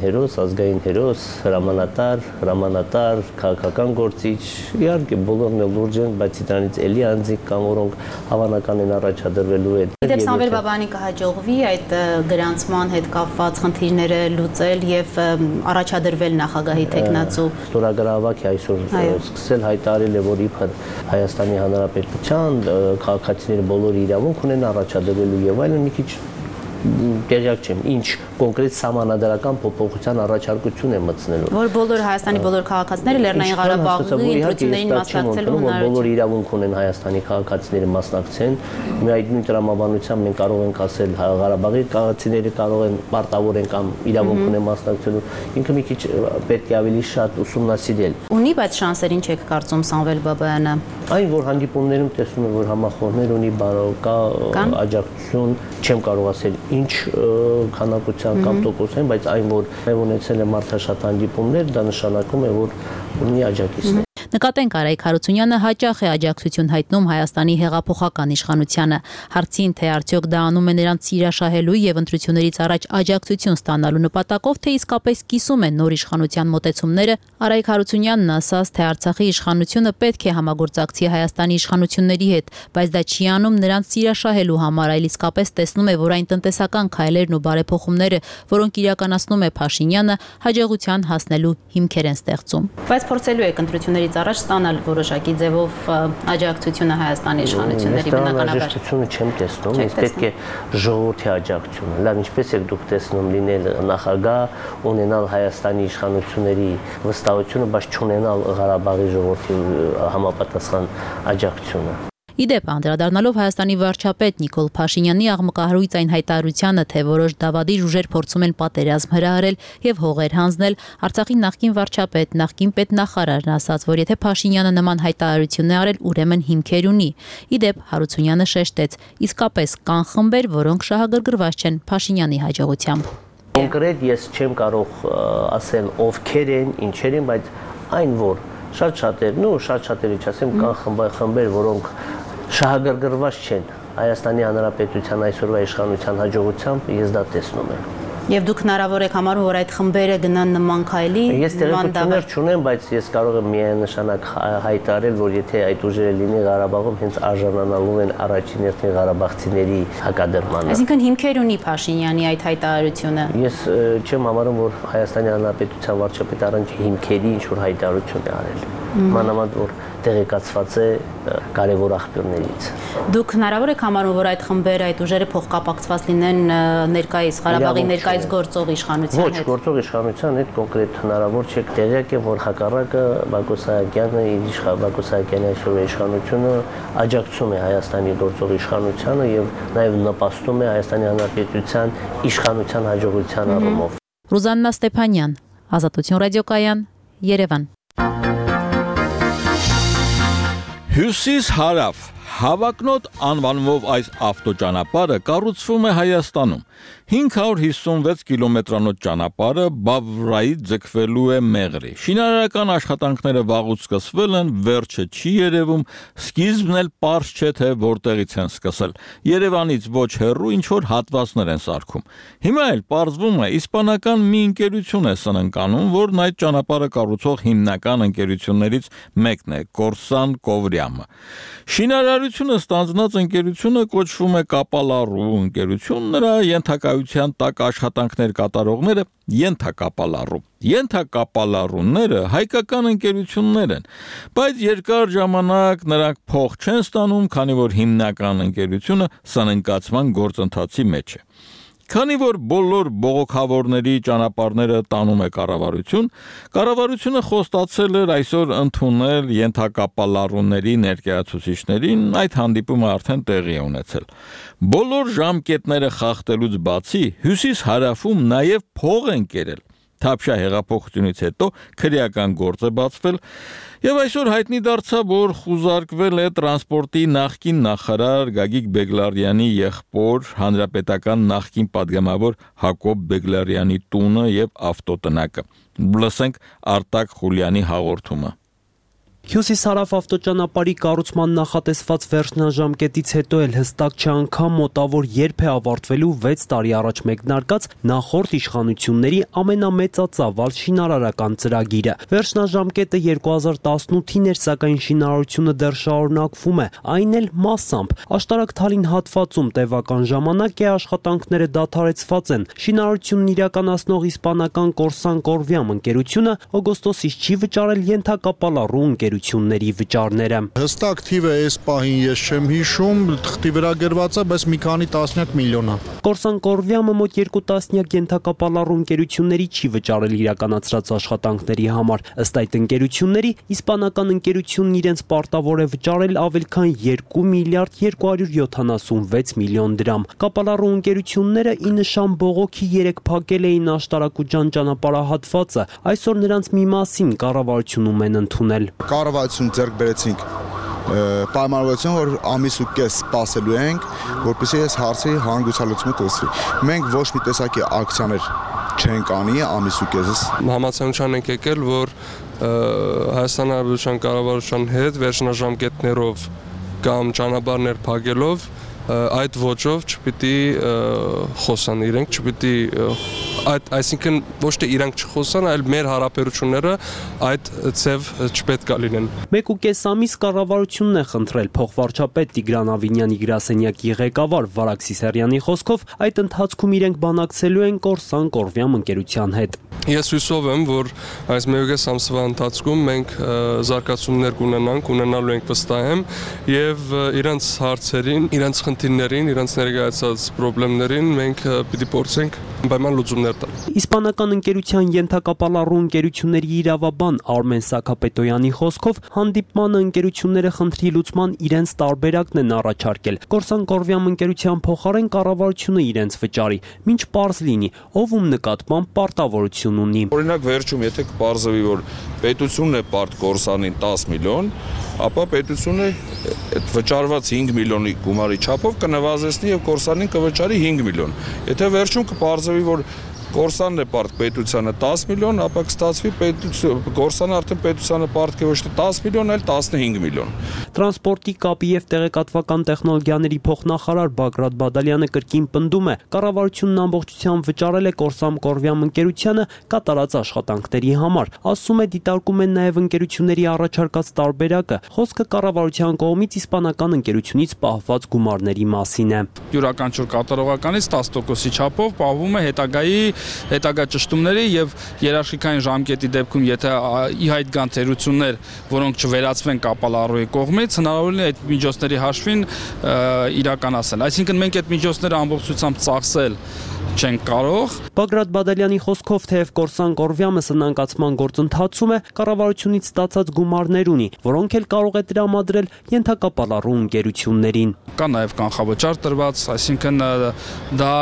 հերոս, հրամանատար, քաղաքական գործիչ, իհարկե բոլորն էլ լուրջ են, բայց դրանից էլի անձիկ կամ որոնք հավանական են առաջադրվելու հետ։
Իդեպ Սամվել Բաբայանին կհաջողվի այդ գրանցման հետ կապված խնդիրները լուծել եւ առաջադրվել նախագահի տեխնացու։
Ստորագրավակ է այսօր սկսել հայտարարել է, որ իբր Հայաստանի Հանրապետության քաղաքացիները բոլորը իրավունք ունեն առաջադրվելու եւ այլն մի քիչ տեղյակ չեմ, ինչ կոնկրետ սահմանադրական փոփոխության առաջարկություն է մտցնելու։
Որ բոլոր Հայաստանի բոլոր քաղաքացիները Լեռնային Ղարաբաղի ընտրություններին մասնակցելու հնարավորություն
բոլոր իրավունք ունեն Հայաստանի քաղաքացիները մասնակցեն։ Մի այդ նույն տրամաբանությամբ մենք կարող ենք ասել Ղարաբաղի քաղաքացիները կարող են պարտավոր են կամ իրավունք ունեն մասնակցելու։ Ինքը մի քիչ պետք է ավելի շատ ուսումնասիրել։
Ունի բայց շանսերին չեք կարծում Սամվել Բաբայանը։
Այն որ հանդիպումներում տեսնում եմ որ համախոհներ ունի, բարոկա աջակցություն, չեմ կարող ասել ինչ քանակության կամ տոկոսային, բայց այն որ ունեցել է մարդաշատ հանդիպումներ, դա նշանակում է որ ունի աջակիցներ։
Նկատենք Արայք Հարությունյանը հաճախ է աջակցություն հայտնում Հայաստանի հեղափոխական իշխանությանը։ Հարցին թե արդյոք դա անում է նրանց սիրաշահելու եւ ընտրություններից առաջ աջակցություն ստանալու նպատակով, թե իսկապես կիսում է նոր իշխանության մոտեցումները, Արայք Հարությունյանն ասաց, թե Արցախի իշխանությունը պետք է համագործակցի Հայաստանի իշխանությունների հետ, բայց դա չի անում նրանց սիրաշահելու համար, այլ իսկապես տեսնում է, որ այն տնտեսական քայլերն ու բարեփոխումները, որոնք իրականացնում է Փաշինյանը, հաջողության հասնելու հիմքեր են ստեղծում։ Բայց փորձելու եք ընտրություններից առաջ ստանալ որոշակի ձևով աջակցությունը Հայաստանի իշխանությունների բնականաբար։
Աջակցությունը չեմ տեսնում, իսկ պետք է ժողովրդի աջակցությունը։ Լավ, ինչպես եք դուք տեսնում լինել նախագահ, ունենալ Հայաստանի իշխանությունների վստահությունը, բայց չունենալ Ղարաբաղի ժողովրդի համապատասխան աջակցությունը։
Իդեպ անդրադառնալով Հայաստանի վարչապետ Նիկոլ Փաշինյանի աղմկահարույց այն հայտարարությանը, թե որոշ դավադիր ուժեր փորձում են պատերազմ հրահրել եւ հողեր հանձնել, Արցախի նախկին վարչապետ, նախկին պետնախարարն ասաց, որ եթե Փաշինյանը նման հայտարարություն է արել, ուրեմն հիմքեր ունի։ Իդեպ Հարությունյանը շեշտեց, իսկապես կան խմբեր, որոնք շահագրգռված չեն Փաշինյանի հաջողությամբ։
Կոնկրետ ես չեմ կարող ասել ովքեր են, ինչեր են, բայց այն որ շատ շատերը չասեմ, կան խմբեր, որոնք շահագրգռված չեն Հայաստանի Հանրապետության այսօրվա իշխանության հաջողությամբ, ես դա տեսնում եմ։
Եվ դուք հնարավոր եք համարում, որ այդ խմբերը գնան նման քայլի,
ես տեղեկություններ չունեմ, բայց ես կարող եմ միանշանակ հայտարարել, որ եթե այդ ուժերը լինի Ղարաբաղում, հենց արժանանալու են առաջին հերթին ղարաբաղցիների հակադրմանը։
Այսինքն հիմքեր ունի Փաշինյանի այդ հայտարարությունը։
Ես չեմ համարում, որ Հայաստանի Հանրապետության վարչապետը առանց հիմքերի ինչ-որ հայտարարություն է արել։ Մանավանդ որ տեղեկացված է կարևոր աղբյուրներից։
Դուք հնարավոր եք համարում, որ այդ խմբերը, այդ ուժերը փոխկապակցված լինեն ներկայիս Ղարաբաղի ներկայիս գործող իշխանության հետ։
Ոչ, գործող իշխանության հետ կոնկրետ հնարավոր չէ, տեղյակ է, որ հակառակը Բակո Սահակյանը, Բակո Սահակյանի այսօրվա իշխանությունը աջակցում է Հայաստանի գործող իշխանությանը եւ նաեւ նպաստում է Հայաստանի Հանրապետության իշխանության հաջողության առումով։
Ռուզաննա Ստեփանյան, Ազատություն ռադիոկայան, Երևան։
Հյուսիս հարավ Հավակնոտ անվանվող այս ավտոճանապարհը կառուցվում է Հայաստանում։ 556 կիլոմետրանոց ճանապարհը Բավրայից ձգվելու է Մեղրի։ Շինարարական աշխատանքները վաղուց սկսվել են, վերջը չի երևում, սկիզբն էլ պարզ չէ, թե որտեղից են սկսել։ Երևանից ոչ հեռու ինչ-որ հատվածներ են սարքում։ Հիմա էլ պարզվում է, իսպանական մի ընկերություն է սնանկանում, որն այդ ճանապարհը կառուցող հիմնական ընկերություններից մեկն է, Կորսան Կովրյամը։ Շինարարությունը ստանձնած ընկերությունը կոչվում է Կապալառու ընկերություն, նրա ենթակայության տակ աշխատանքներ կատարողները ենթակապալառու։ Ենթակապալառուները հայկական ընկերություններ են, բայց երկար ժամանակ նրանք փող չեն ստանում, քանի որ հիմնական ընկերությունը սնանկացման գործընթացի մեջ է։ Քանի որ բոլոր բողոքավորների ճանապարհները տանում է կառավարություն, կառավարությունը խոստացել էր այսօր ընդունել ենթակապալառուների ներկայացուցիչներին, այդ հանդիպումը արդեն տեղի է ունեցել։ Բոլոր ժամկետները խախտելուց բացի, հյուսիս-հարավում նաև փող են կերել։ Թավշյա հեղափոխությունից հետո քրեական գործ է բացվել եւ այսօր հայտնի դարձավ, որ խուզարկվել է տրանսպորտի նախկին նախարար Գագիկ Բեգլարյանի եղբոր հանրապետական նախկին падգամավոր Հակոբ Բեգլարյանի տունը եւ ավտոտնակը։ Լսենք Արտակ Խուլյանի հաղորդումը։
Հյուսիս-հարավ ավտոճանապարհի կառուցման նախատեսված վերջնաժամկետից հետո էլ հստակ չէ անգամ մոտավոր երբ է ավարտվելու 6 տարի առաջ մեկնարկած նախորդ իշխանությունների ամենամեծածավալ շինարարական ծրագիրը։ Վերջնաժամկետը 2018-ին էր, սակայն շինարարությունը դեռ շարունակվում է, այն էլ մասամբ։ Աշտարակ Թալին հատվածում տևական ժամանակ է աշխատանքները դադարեցված են։ Շինարարությունն իրականացնող իսպանական Կորսան Կորվիամ ընկերությունը օգոստոսից չի վճարել ենթակապալառու ընկերությունների վճարները։
Հստակ թիվը այս պահին ես չեմ հիշում, թղթի վրա գրված է, բայց մի քանի տասնյակ միլիոն է։
Կորսան Կորվիամը մոտ 2 տասնյակ ենթակապալառու ընկերությունների չի վճարել իրականացրած աշխատանքների համար։ Ըստ այդ ընկերությունների, իսպանական ընկերությունն իրենց պարտավոր է վճարել ավել քան 2 միլիարդ 276 միլիոն դրամ։ Կապալառու ընկերությունները ի նշան բողոքի 3 փակել էին Աշտարակուջան ճանապարհահատվածը։ Այսօր նրանց մի մասին կառավարությունում են ընդունել։
Կառավարություն ձեռք բերեցինք պայմանավորություն, որ ամիս ու կես սպասելու ենք, որպեսզի այս հարցի հանգուցալուծումը տվի։ Մենք ոչ մի տեսակի ակցիաներ չենք անի ամիս ու կեսից։
Համացանության ենք եկել, որ Հայաստան Հանրապետության կառավարության հետ վերջնաժամկետներով կամ ճանապարհներ փակելով այդ ոճով չպիտի խոսան իրենք, չպիտի այսինքն ոչ թե իրանք չխոսան, այլ մեր հարաբերությունները այդ ցև չպետք է լինեն։
1.5 ամիս կառավարությունն է խնդրել փոխվարչապետ Տիգրան Ավինյանի գրասենյակի ղեկավար Վարակ Սիսարյանի խոսքով այդ ընթացքում իրենք բանակցելու են Կորսան Կորվիամ ընկերության հետ։
Ես հույսով եմ, որ այս 1.5 ամսվա ընթացքում մենք զարգացումներ կունենալու ենք վստահ եմ եւ իրենց հարցերին, իրենց խնդիրներին, իրենց ներկայացած խնդիրներին մենք պիտի փորձենք պայման լուծումներ տալ։
Իսպանական ընկերության ենթակապալառու ընկերությունների իրավաբան Արմեն Սաքապետոյանի խոսքով հանդիպմանը ընկերությունները խնդրի լուծման իրենց տարբերակն են առաջարկել։ Կորսան Կորվիամ ընկերության փոխարեն կառավարությունը իրենց վճարի, մինչ պարզ լինի, ով ում նկատմամբ պարտավորություն ունի։
Օրինակ վերջում եթե կպարզվի, որ պետությունն է պարտ Կորսանին 10 միլիոն, ապա պետությունը այդ վճարված 5 միլիոնի գումարի չափով կնվազեցնի եւ Կորսանին կվճարի 5 միլիոն։ Եթե վերջում կպարզվի, որ Կորսանն է պարտ պետությանը 10 միլիոն, ապա կստացվի Կորսանը արդեն պետությանը պարտք է ոչ թե 10 միլիոն, այլ 15 միլիոն։
Տրանսպորտի, կապի եւ տեղեկատվական տեխնոլոգիաների փոխնախարար Բագրատ Բադալյանը կրկին պնդում է, կառավարությունն ամբողջությամբ վճարել է Կորսան Կորվիամ ընկերությանը կատարած աշխատանքների համար։ Ասում է, դիտարկում են նաեւ ընկերությունների առաջարկած տարբերակը։ Խոսքը կառավարության կողմից իսպանական ընկերությունից պահված գումարների մասին է։
Յուրաքանչյուր կատարողականից 10%-ի չափով պահվում է հետագա ճշտումների եւ երաշխիքային ժամկետի դեպքում, եթե ի հայտ գան թերություններ, որոնք չվերացվեն կապալառուի կողմից, հնարավոր է այդ միջոցների հաշվին իրականացնել։ Այսինքն մենք այդ միջոցները ամբողջությամբ ծախսել չենք կարող։
Բագրատ Բադալյանի խոսքով թեև Կորսան Կորվիամը սնանկացման գործընթացում է, կառավարությունից ստացած գումարներ ունի, որոնք էլ կարող է տրամադրել ենթակապալառու ընկերություններին։
Կա նաև կանխավճար տրված, այսինքն դա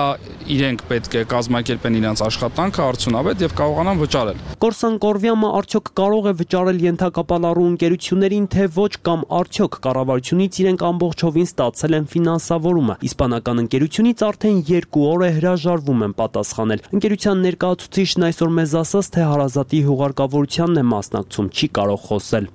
իրենք պետք է կազմակերպեն իրենց աշխատանքը արդյունավետ եւ կարողանան վճարել։
Կորսան Կորվիամը արդյոք կարող է վճարել ենթակապալառու ընկերություններին, թե ոչ, կամ արդյոք կառավարությունից իրենք ամբողջովին ստացել են ֆինանսավորումը։ Իսպանական ընկերությունից արդեն 2 օր է հրաժարվում են պատասխանել։ Ընկերության ներկայացուցիչն այսօր մեզ ասաց, թե հարազատի հուղարկավորությանն է մասնակցում, չի կարող խոսել։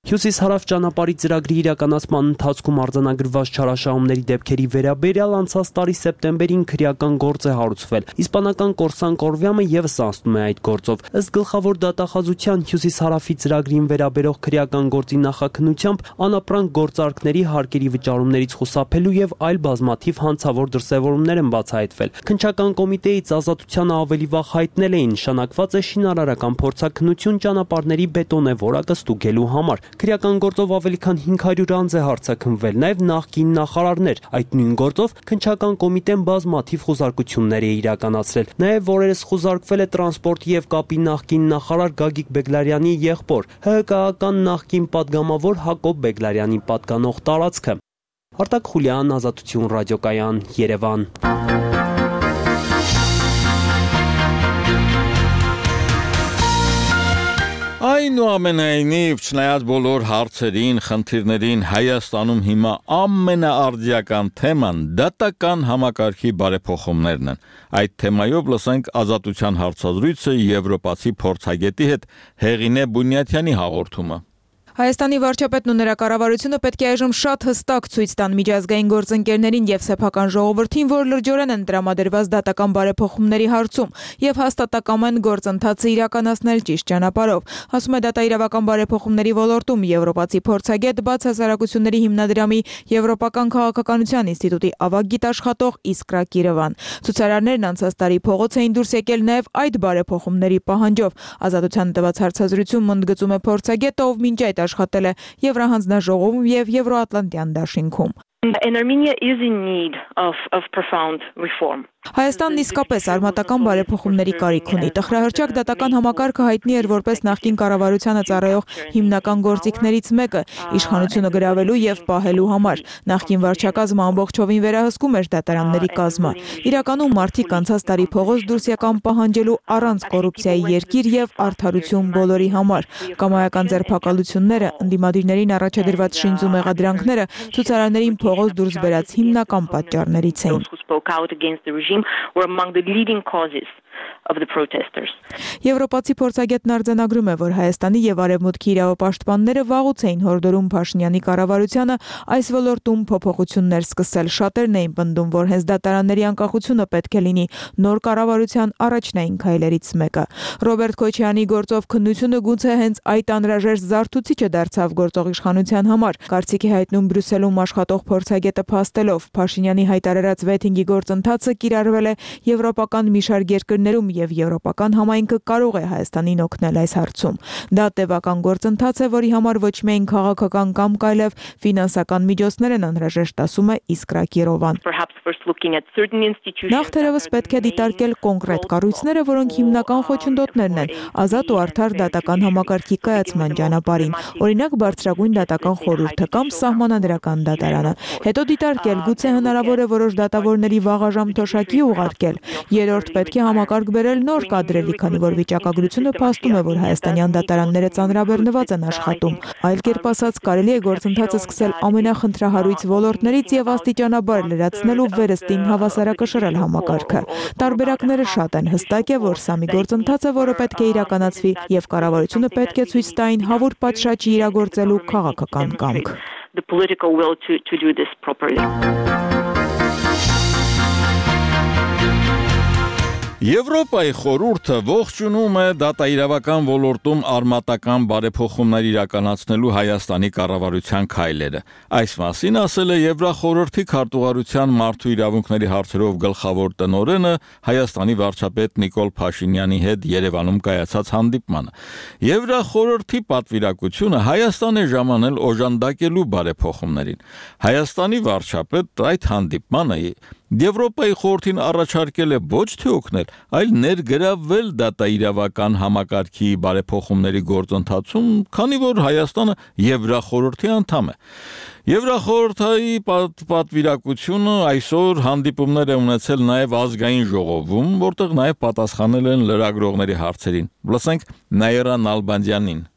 Հյուսիս-հարավ ճանապարհի ծրագրի իրականացման ընթացքում արձանագրված չարաշահումների դեպքերի վերաբերյալ անցած տարի սեպտեմբերին քրեական գործ է հարուցվել։ Իսպանական Կորսան Կորվիամը եւս անցնում է այդ գործով։ Ըստ գլխավոր դատախազության Հյուսիս-հարավի ծրագրին վերաբերող քրեական գործի նախաքննությամբ անապրանք գործարքների հարկերի վճարումներից խուսափելու եւ այլ բազմաթիվ հանցավոր դրսեւորումներ են բացահայտվել։ Քննչական կոմիտեից ազատությանը ավելի վաղ հայտնել էին, նշանակված է շինարարական փորձաքննություն ճանապարհների բետոնե որակը ստուգելու համար։ Քրեական գործով ավելի քան 500 անձ է հարձակվել, նաև նախկին նախարարներ։ Այդ նույն գործով քննչական կոմիտեն բազմաթիվ խուզարկություններ է իրականացրել։ Նաև օրերս խուզարկվել է տրանսպորտի եւ կապի նախկին նախարար Գագիկ Բեգլարյանի եղբոր, ՀՀԿ-ական նախկին падգամավոր Հակոբ Բեգլարյանի պատկանող տարածքը։ Արտակ Խուլյան, Ազատություն ռադիոկայան, Երևան։
Այնուամենայնիվ, չնայած բոլոր հարցերին, խնդիրներին, Հայաստանում հիմա ամենաարդիական թեման դատական համակարգի բարեփոխումներն են։ Այդ թեմայով լսենք Ազատության հարցազրույցը եվրոպացի փորձագետի հետ Հեղինե Բունյաթյանի հաղորդումը։
Հայաստանի վարչապետն ու նրա կառավարությունը պետք է այժմ շատ հստակ ցույց տան միջազգային գործընկերներին եւ սեփական ժողովրդին, որ լրջորեն են տրամադրված դատական բարեփոխումների հարցում եւ հաստատակամ են գործընթացը իրականացնել ճիշտ ճանապարհով, ասում է դատաիրավական բարեփոխումների ոլորտում եվրոպացի փորձագետ, բաց հասարակությունների հիմնադրամի Եվրոպական քաղաքականության ինստիտուտի ավագ գիտաշխատող Իսկրա Կիրովան։ Ցուցարարներն անցած տարի փողոց էին դուրս եկել նաեւ այդ բարեփոխումների պահանջով։ Ազատության տված հարցազրույցում ընդգծում է փորձագետը, ով մինչ այդ աշխատել է Եվրահանձնաժողովում եւ Եվրոատլանտյան դաշինքում։
Armenia is in need of profound reform.
Հայաստանն իսկապես արմատական բարեփոխումների կարիք ունի։ Տխրահրճակ դատական համակարգը հայտնի էր որպես նախկին կառավարությանը ծառայող հիմնական գործիքներից մեկը՝ իշխանությունը գրավելու եւ պահելու համար։ Նախկին վարչակազմը ամբողջովին վերահսկում էր դատարանների կազմը։ Իրականում մարդիկ անցած տարի փողոց դուրս եկան պահանջելու առանց կոռուպցիայի երկիր եւ արդարություն բոլորի համար։ Կամայական ձերբակալությունները, ընդդիմադիրներին առաջադրված շինձու մեղադրանքները ցուցարարներին փողոց դուրս բերած հիմնական պատճառներից էին։
Were among the leading causes of the protesters.
Եվրոպացի փորձագետն արձանագրում է, որ Հայաստանի եւ Արևմուտքի իրավապաշտպանները վաղուց էին հորդորում Փաշինյանի կառավարությանը այս ոլորտում փոփոխություններ սկսել։ Շատերն էին պնդում, որ հենց դատարանների անկախությունը պետք է լինի նոր կառավարության առաջնային քայլերից մեկը։ Ռոբերտ Քոչյանի գործով քննությունը գուցե հենց այդ անհրաժեշտ զարթուցիչը դարձավ գործող իշխանության համար։ Կարծիքի հայտնում Բրյուսելում աշխատող փորձագետը փաստելով Փաշինյանի հայտարարած վեթինգի գործընթացը կիրառվել է եվրոպական մի շարք երկրներում եւ եվրոպական համայնքը կարող է Հայաստանին օգնել այս հարցում։ Դա տևական գործընթաց է, որի համար ոչ միայն քաղաքական կամ կայլև ֆինանսական միջոցներ են անհրաժեշտ, ասում է Իսկրա Կիրովան։ Նախ թերևս պետք է դիտարկել կոնկրետ կառույցները, որոնք հիմնական խոչընդոտներն են ազատ ու արդար դատական համակարգի կայացման ճանապարհին, օրինակ բարձրագույն դատական խորհուրդը կամ սահմանադրական դատարանը։ Հետո դիտարկել գուցե հնարավոր է որոշ դատավորների վաղաժամ թոշակի ուղարկել։ Երրորդ պետք է համակարգ բերել նոր կադրերի, քանի որ վիճակագրությունը փաստում է, որ հայաստանյան դատարանները ծանրաբեռնված են աշխատում։ Այլ կերպ ասած, կարելի է գործընթացը սկսել ամենախնդրահարույց ոլորտներից եւ աստիճանաբար լրացնել ու վերստին հավասարակշռել համակարգը։ Տարբերակները շատ են, հստակ է, որ սա մի գործընթաց է, որը պետք է իրականացվի եւ կառավարությունը պետք է ցույց տա այն հավուր պատշաճի իրագործելու քաղաքական կամք։
The political will to do this properly.
Եվրոպայի խորհուրդը ողջունում է դատաիրավական ոլորտում արմատական բարեփոխումներ իրականացնելու Հայաստանի կառավարության քայլերը։ Այս մասին ասել է Եվրախորհրդի քարտուղարության մարդու իրավունքների հարցերով գլխավոր տնօրենը Հայաստանի վարչապետ Նիկոլ Փաշինյանի հետ Երևանում կայացած հանդիպմանը։ Եվրախորհրդի պատվիրակությունը Հայաստան է ժամանել օժանդակելու բարեփոխումներին։ Հայաստանի վարչապետ այդ հանդիպմանը Եվրոպայի խորհրդին առաջարկել է ոչ թե օգնել, այլ ներգրավվել դատաիրավական համակարգի բարեփոխումների գործընթացում, քանի որ Հայաստանը Եվրախորհրդի անդամ է։ Եվրախորհրդի պատվիրակությունը այսօր հանդիպումներ է ունեցել նաև ազգային ժողովում, որտեղ նաև պատասխանել են լրագրողների հարցերին։ Լսենք Նաիրա Նալբանդյանին։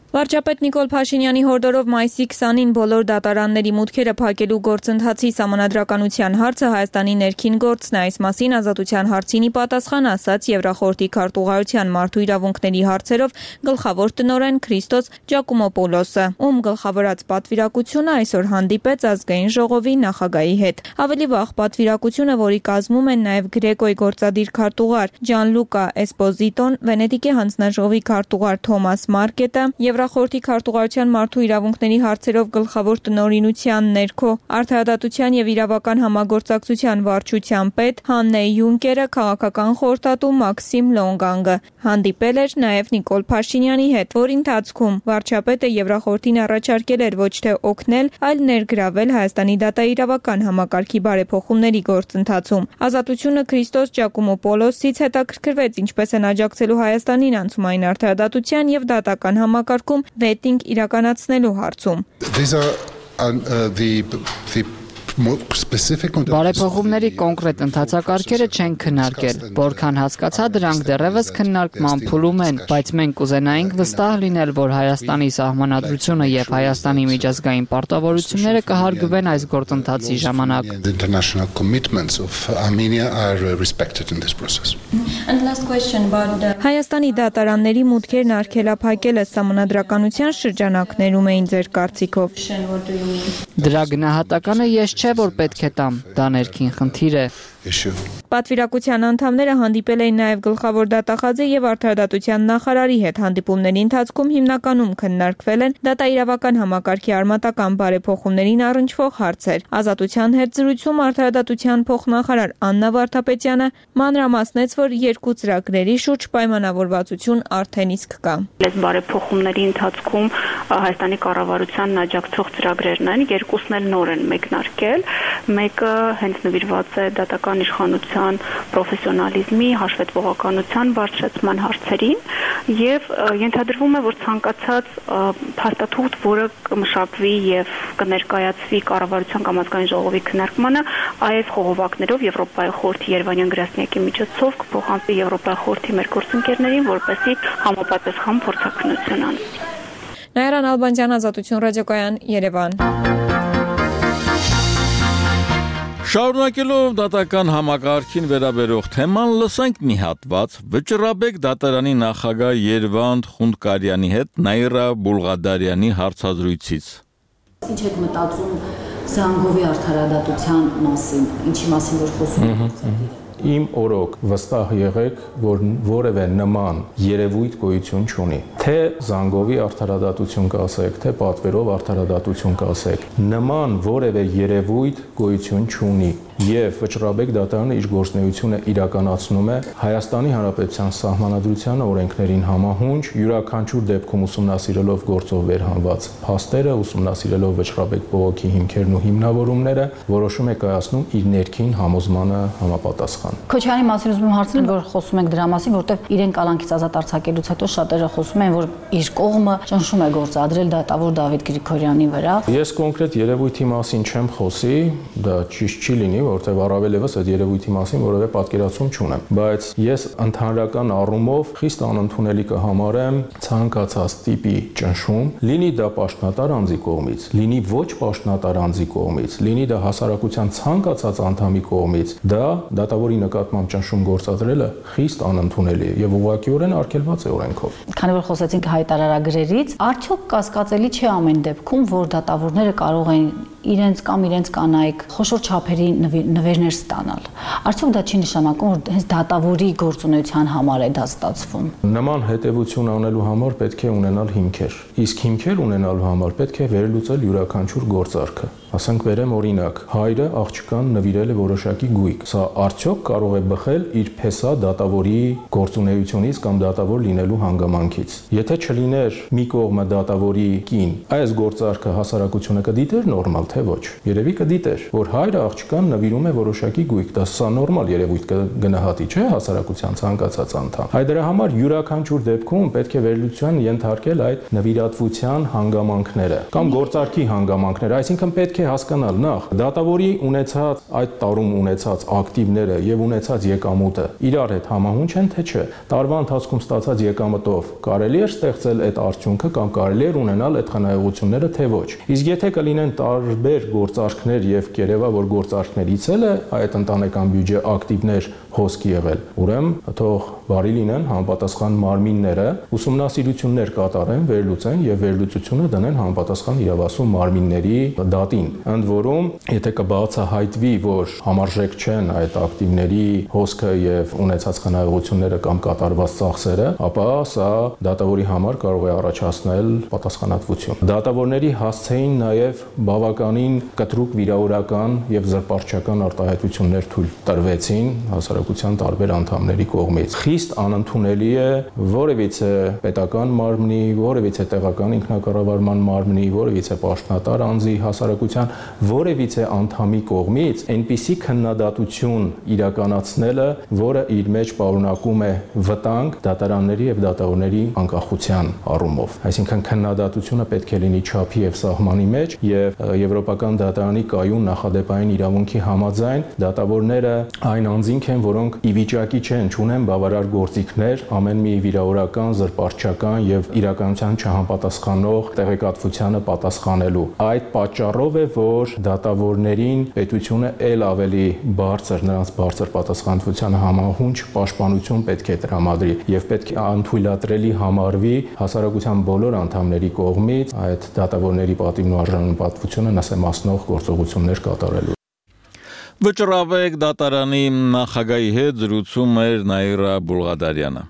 Վարչապետ Նիկոլ Փաշինյանի հորդորով մայիսի 20-ին բոլոր դատարանների մուտքերը փակելու գործընթացի սահմանադրականության հարցը Հայաստանի ներքին գործն է։ Այս մասին ազատության հարցինի պատասխան ասաց Եվրախորհրդի քարտուղարության մարդու իրավունքների հարցերով գլխավոր տնօրեն Քրիստոս Ջակոմոպոլոսը, ում գլխավորած պատվիրակությունը այսօր հանդիպեց ազգային ժողովի նախագահի հետ։ Ավելի վաղ պատվիրակությունը, որի կազմում են նաև Գրեկոյի գործադիր քարտուղար Ջանլուկա Էսպոզիտոն, Վենետիկի հանձնաժողովի քարտուղար Թոմաս Մարկետը, Եվրախորհրդի քարտուղարության մարդու իրավունքների հարցերով գլխավոր տնօրինության ներքո արդարադատության եւ իրավական համագործակցության վարչության պետ Հաննե Յունկերը, քաղաքական խորհրդատու Մաքսիմ Լոնգանգը հանդիպել էր նաեւ Նիկոլ Փաշինյանի հետ, որի ընթացքում վարչապետը Եվրախորհրդին առաջարկել էր ոչ թե օգնել, այլ ներգրավել Հայաստանի դատաիրավական համակարգի բարեփոխումների գործընթացում։ Ազատությունը Քրիստոս Ջակոմոպոլոսից հետաքրքրվեց ինչպես են աջակցելու Հայաստանին անցումային արդարադատության եւ դատական համակարգում վետինգ իրականացնելու հարցում։
These are the Բարեփոխումների կոնկրետ ընթացակարգերը չեն քննարկել, որքան հասկացա դրանք դեռևս քննարկման փուլում են, բայց մենք կուզենայինք վստահ լինել, որ Հայաստանի սահմանադրությունը եւ Հայաստանի միջազգային պարտավորությունները կհարգվեն այս գործընթացի ժամանակ։
Հայաստանի դատարանների մուտքերն արգելափակելը սահմանադրականության շրջանակներում էին ձեր կարծիքով։
Դրա գնահատականը ես չէ, որ պետք է տամ, դա ներքին խնդիր է։
Պատվիրակության անդամները հանդիպել էին նաև գլխավոր դատախազի եւ արդարադատության նախարարի հետ։ Հանդիպումների ընթացքում հիմնականում քննարկվել են դատաիրավական համակարգի արմատական բարեփոխումներին առնչվող հարցեր։ Ազատության հետ զրույցում արդարադատության փոխնախարար Աննա Վարդապետյանը մանրամասնեց, որ երկու ծրագրերի շուրջ պայմանավորվածություն արդեն իսկ կա։
Այս բարեփոխումների ընթացքում Հայաստանի կառավարությանն աջակցող ծրագրերն են, երկուսն էլ նոր են մեկնարկել։ Մեկը հենց նվիրված է դատական իշխանության պրոֆեսիոնալիզմի, հաշվետվողականության բարձրացման հարցերին եւ ենթադրվում է, որ ցանկացած փաստաթուղթ, որը կմշակվի եւ կներկայացվի կառավարության կամ ազգային ժողովի քննարկմանը, այս խողովակներով Եվրոպայի խորհրդի Երևանյան գրասենյակի միջոցով կփոխանցվի Եվրոպայի խորհրդի մեր գործընկերներին, որպեսզի համապատասխան փորձաքննություն անվի։
Նաիրան Ալբանդյան, Ազատություն ռադիոկայան, Երևան։
Շարունակելով դատական համակարգին վերաբերող թեման, լսենք մի հատված Վճռաբեկ դատարանի նախագահ Երվանդ Խունդկարյանի հետ Նաիրա Բուլղադարյանի հարցազրույցից։
Ինչ եք մտածում Զանգովի արդարադատության մասին, ինչի մասին որ խոսում եք։
Իմ օրոք վստահ եղեք, որ որևէ նման երևույթ գոյություն չունի։ Թե Զանգովի արդարադատություն կասեք, թե պատվերով արդարադատություն կասեք, նման որևէ երևույթ գոյություն չունի։ Եվ Վճռաբեկ դատարանը իր գործունեությունը իրականացնում է Հայաստանի Հանրապետության Սահմանադրության օրենքներին համահունչ, յուրաքանչյուր դեպքում ուսումնասիրելով գործով վերհանված փաստերը, ուսումնասիրելով Վճռաբեկ բողոքի հիմքերն ու հիմնավորումները, որոշում է կայացնում իր ներքին համոզմանը համապատասխան։
Քոչարյանի մասին ուզում եմ հարցնել, որ խոսում ենք դրա մասին, որտեղ իրեն կալանքից ազատ արձակելուց հետո շատերը խոսում են, որ իր կողմը ճնշում է գործադրել դատավոր Դավիթ Գրիգորյանի վրա։ Ես
կոնկրետ երևույթի մասին չեմ խոսի, դա ճիշտ չի լինի, որտեղ առավել եւս այդ երևույթի մասին որևէ պատկերացում չունեմ, բայց ես ընդհանրական առումով խիստ անընդունելի կհամարեմ ցանկացած տիպի ճնշում, լինի դա պաշտոնատար անձի կողմից, լինի ոչ պաշտոնատար անձի կողմից, լինի դա հասարակության ցանկացած անդամի կողմից, դա դատավորի նկատմամբ ճնշում գործադրելը խիստ անընդունելի է եւ ուղղակիորեն արգելված է օրենքով։ Քանի որ խոսեցինք հայտարարագրերից, արդյոք կասկածելի չէ ամեն դեպքում, որ դատավորները կարող են իրենց կամ իրենց կանայք խոշոր չափերի նվերներ ստանալ։ Արդյոք դա չի նշանակում, որ հենց դատավորի գործունեության համար է դա ստացվում։ Նման հետևություն անելու համար պետք է ունենալ հիմքեր։ Իսկ հիմքեր ունենալու համար պետք է վերլուծել յուրաքանչյուր գործարքը։ Ասենք վերեմ օրինակ, հայրը աղջկան նվիրել է որոշակի գույք։ Սա արդյոք կարող է բխել իր փեսա դատավորի գործունեությունից կամ դատավոր լինելու հանգամանքից։ Եթե չլիներ մի կողմը դատավորի կին, այս գործարքը հասարակությունը կդիտեր նորմալ, թե ոչ։ Երևի կդիտեր, որ հայրը աղջկան նվիրում է որոշակի գույք, դա սա նորմալ երևույթ կգնահատի, չէ՞, հասարակության ցանկացած անդամ։ Հայ դրա համար յուրաքանչյուր դեպքում պետք է վերլուծության ենթարկել այդ նվիրատվության հանգամանքները կամ գործարքի հանգամանքները, այսինքն պետք է հասկանալ նախ դատավորի ունեցած այդ տարում ունեցած ակտիվները եւ ունեցած եկամուտը իրար հետ համահունչ են թե չէ։ Տարվա ընթացքում ստացած եկամտով կարելի է ստեղծել այդ արդյունքը կամ կարելի է ունենալ այդ խնայողությունները թե ոչ։ Իսկ եթե կլինեն տարբեր գործարքներ եւ կերևա որ գործարքներից էլ է այդ ընտանեկան բյուջե ակտիվներ հոսքի եղել, ուրեմն թող բարի լինեն համապատասխան մարմինները, ուսումնասիրություններ կատարեն, վերլուծեն եւ վերլուծությունը դնեն համապատասխան իրավասու մարմինների դատին։ Ընդ որում, եթե կբացահայտվի, որ համարժեք չեն այդ ակտիվների հոսքը եւ ունեցած խնայողությունները կամ կատարված ծախսերը, ապա սա դատավորի համար կարող է առաջացնել պատասխանատվություն։ Դատավորների հասցեին նաեւ բավականին կտրուկ վիրավորական եւ զրպարտչական արտահայտություններ թույլ տրվեցին հասարակության տարբեր անդամների կողմից։ Խիստ անընդունելի է որևիցե պետական մարմնի, որևիցե տեղական ինքնակառավարման մարմնի, որևիցե պաշտոնատար անձի հասարակության կառավարության որևիցե անդամի կողմից այնպիսի քննադատություն իրականացնելը, որը իր մեջ պարունակում է վտանգ դատարանների եւ դատավորների անկախության առումով։ Այսինքն քննադատությունը պետք է լինի չափի եւ սահմանի մեջ եւ Եվրոպական դատարանի կայուն նախադեպային իրավունքի համաձայն դատավորները այն անձինք են, որոնք ի վիճակի չեն, չունեն բավարար գործիքներ ամեն մի վիրավորական, զրպարտչական եւ իրականության չհամապատասխանող տեղեկատվությանը պատասխանելու։ Այդ պատճառով է, որ դատավորներին պետությունը ել ավելի բարձր, նրանց բարձր պատասխանատվությանը համահունչ պաշտպանություն պետք է տրամադրի եւ պետք է անթույլատրելի համարվի հասարակության բոլոր անդամների կողմից այդ դատավորների պատիվն ու արժանապատվությունը նսեմացնող գործողություններ կատարելու։
Վճռավեկ դատարանի նախագահի հետ զրուցում էր Նաիրա Բուլղադարյանը։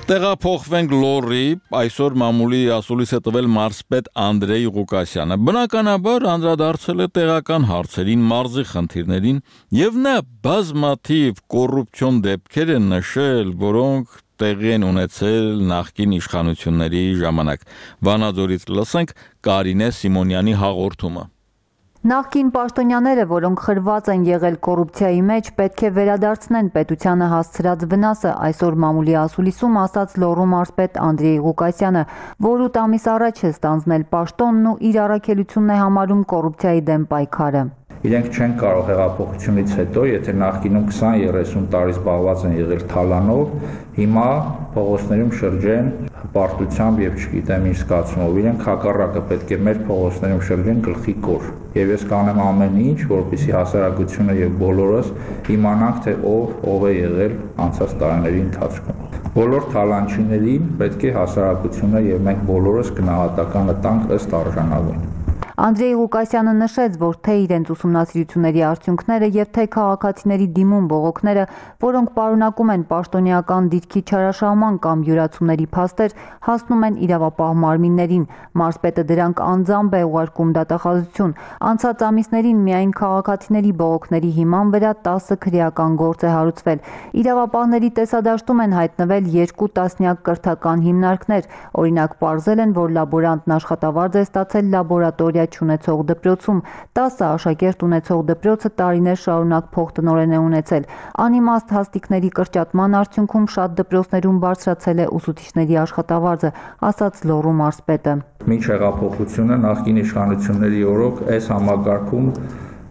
Տեղափոխվենք Լոռի, այսօր մամուլի ասուլիս է տվել մարզպետ Անդրեյ Ղուկասյանը։ Բնականաբար անդրադարձել է տեղական հարցերին, մարզի խնդիրներին եւ նա բազմաթիվ կոռուպցիոն դեպքեր է նշել, որոնք տեղի են ունեցել նախկին իշխանությունների ժամանակ։ Վանաձորից լսենք Կարինե Սիմոնյանի հաղորդումը։
Նախկին պաշտոնյաները, որոնք խրված են եղել կոռուպցիայի մեջ, պետք է վերադարձնեն պետությանը հասցրած վնասը, այսօր մամուլի ասուլիսում ասաց Լոռու մարզպետ Անդրեյ Ղուկասյանը, որ 8 ամիս առաջ է ստանձնել պաշտոնն ու իր առաքելությունն է համարում կոռուպցիայի դեմ պայքարը։
Իրենք չեն կարող հեղափոխությունից հետո, եթե նախկինում 20-30 տարի զբաղված են եղել թալանով, հիմա փողոցներում շրջեն հպարտությամբ եւ չգիտեմ ինչ զգացումով։ Իրենք հակառակը պետք է մեր փողոցներում շրջեն գլխի կոր։ Եվ ես կանեմ ամեն ինչ, որպեսզի հասարակությունը եւ բոլորս իմանանք, թե ով է եղել անցած տարիների ընթացքում։ Բոլոր թալանչիներին պետք է հասարակությունը եւ մենք բոլորս գնահատականը տանք ըստ արժանավուն։
Անդրեյ Ղուկասյանը նշեց, որ թե իրենց ուսումնասիրությունների արդյունքները եւ թե քաղաքացիների դիմում բողոքները, որոնք պարունակում են պաշտոնեական դիրքի չարաշահման կամ յուրացումների փաստեր, հասնում են իրավապահ մարմիններին։ Մարզպետը դրանք անձամբ է ուղարկում դատախազություն։ Անցած ամիսներին միայն քաղաքացիների բողոքների հիման վրա 10 քրեական գործ է հարուցվել։ Իրավապահների տեսադաշտում են հայտնվել 2 տասնյակ կրթական հիմնարկներ։ Օրինակ, պարզել են, որ լաբորանտն աշխատավարձ է ստացել լաբորատորիա չունեցող դպրոցում, 10 աշակերտ ունեցող դպրոցը տարիներ շարունակ փոխտնօրեն է ունեցել։ Անիմաստ հաստիկների կրճատման արդյունքում շատ դպրոցներում բարձրացել է ուսուցիչների աշխատավարձը, ասաց Լոռու մարզպետը։
Մինչ հեղափոխությունը նախկին իշխանությունների օրոք այս համակարգում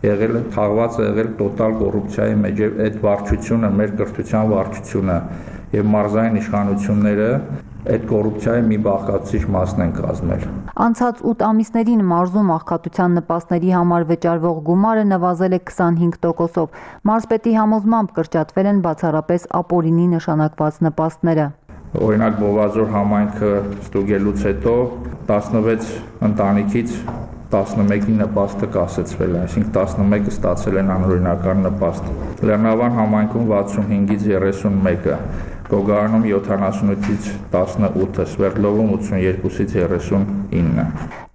եղել է թաղված եղել տոտալ կոռուպցիայի մեջ եւ այդ վարչությունը, մեր կրթության վարչությունը եւ մարզային իշխանությունները այդ կոռուպցիայի մի բաղկացուցիչ մասն են կազմել։
Անցած 8 ամիսներին մարզում աղքատության նպաստների համար վճարվող գումարը նվազել է 25%-ով։ Մարզպետի համոզմամբ կրճատվել են բացառապես ապօրինի նշանակված նպաստները։
Օրինակ Բովազոր համայնքը ստուգելուց հետո 16 ընտանիքից 11-ի նպաստը կասեցվել է, այսինքն 11-ը ստացել են անօրինական նպաստ։ Լեռնավան համայնքում 65-ից 31-ը, Գոգարանում 78-ից 18-ը, Սվերդլովում 82-ից 39-ը։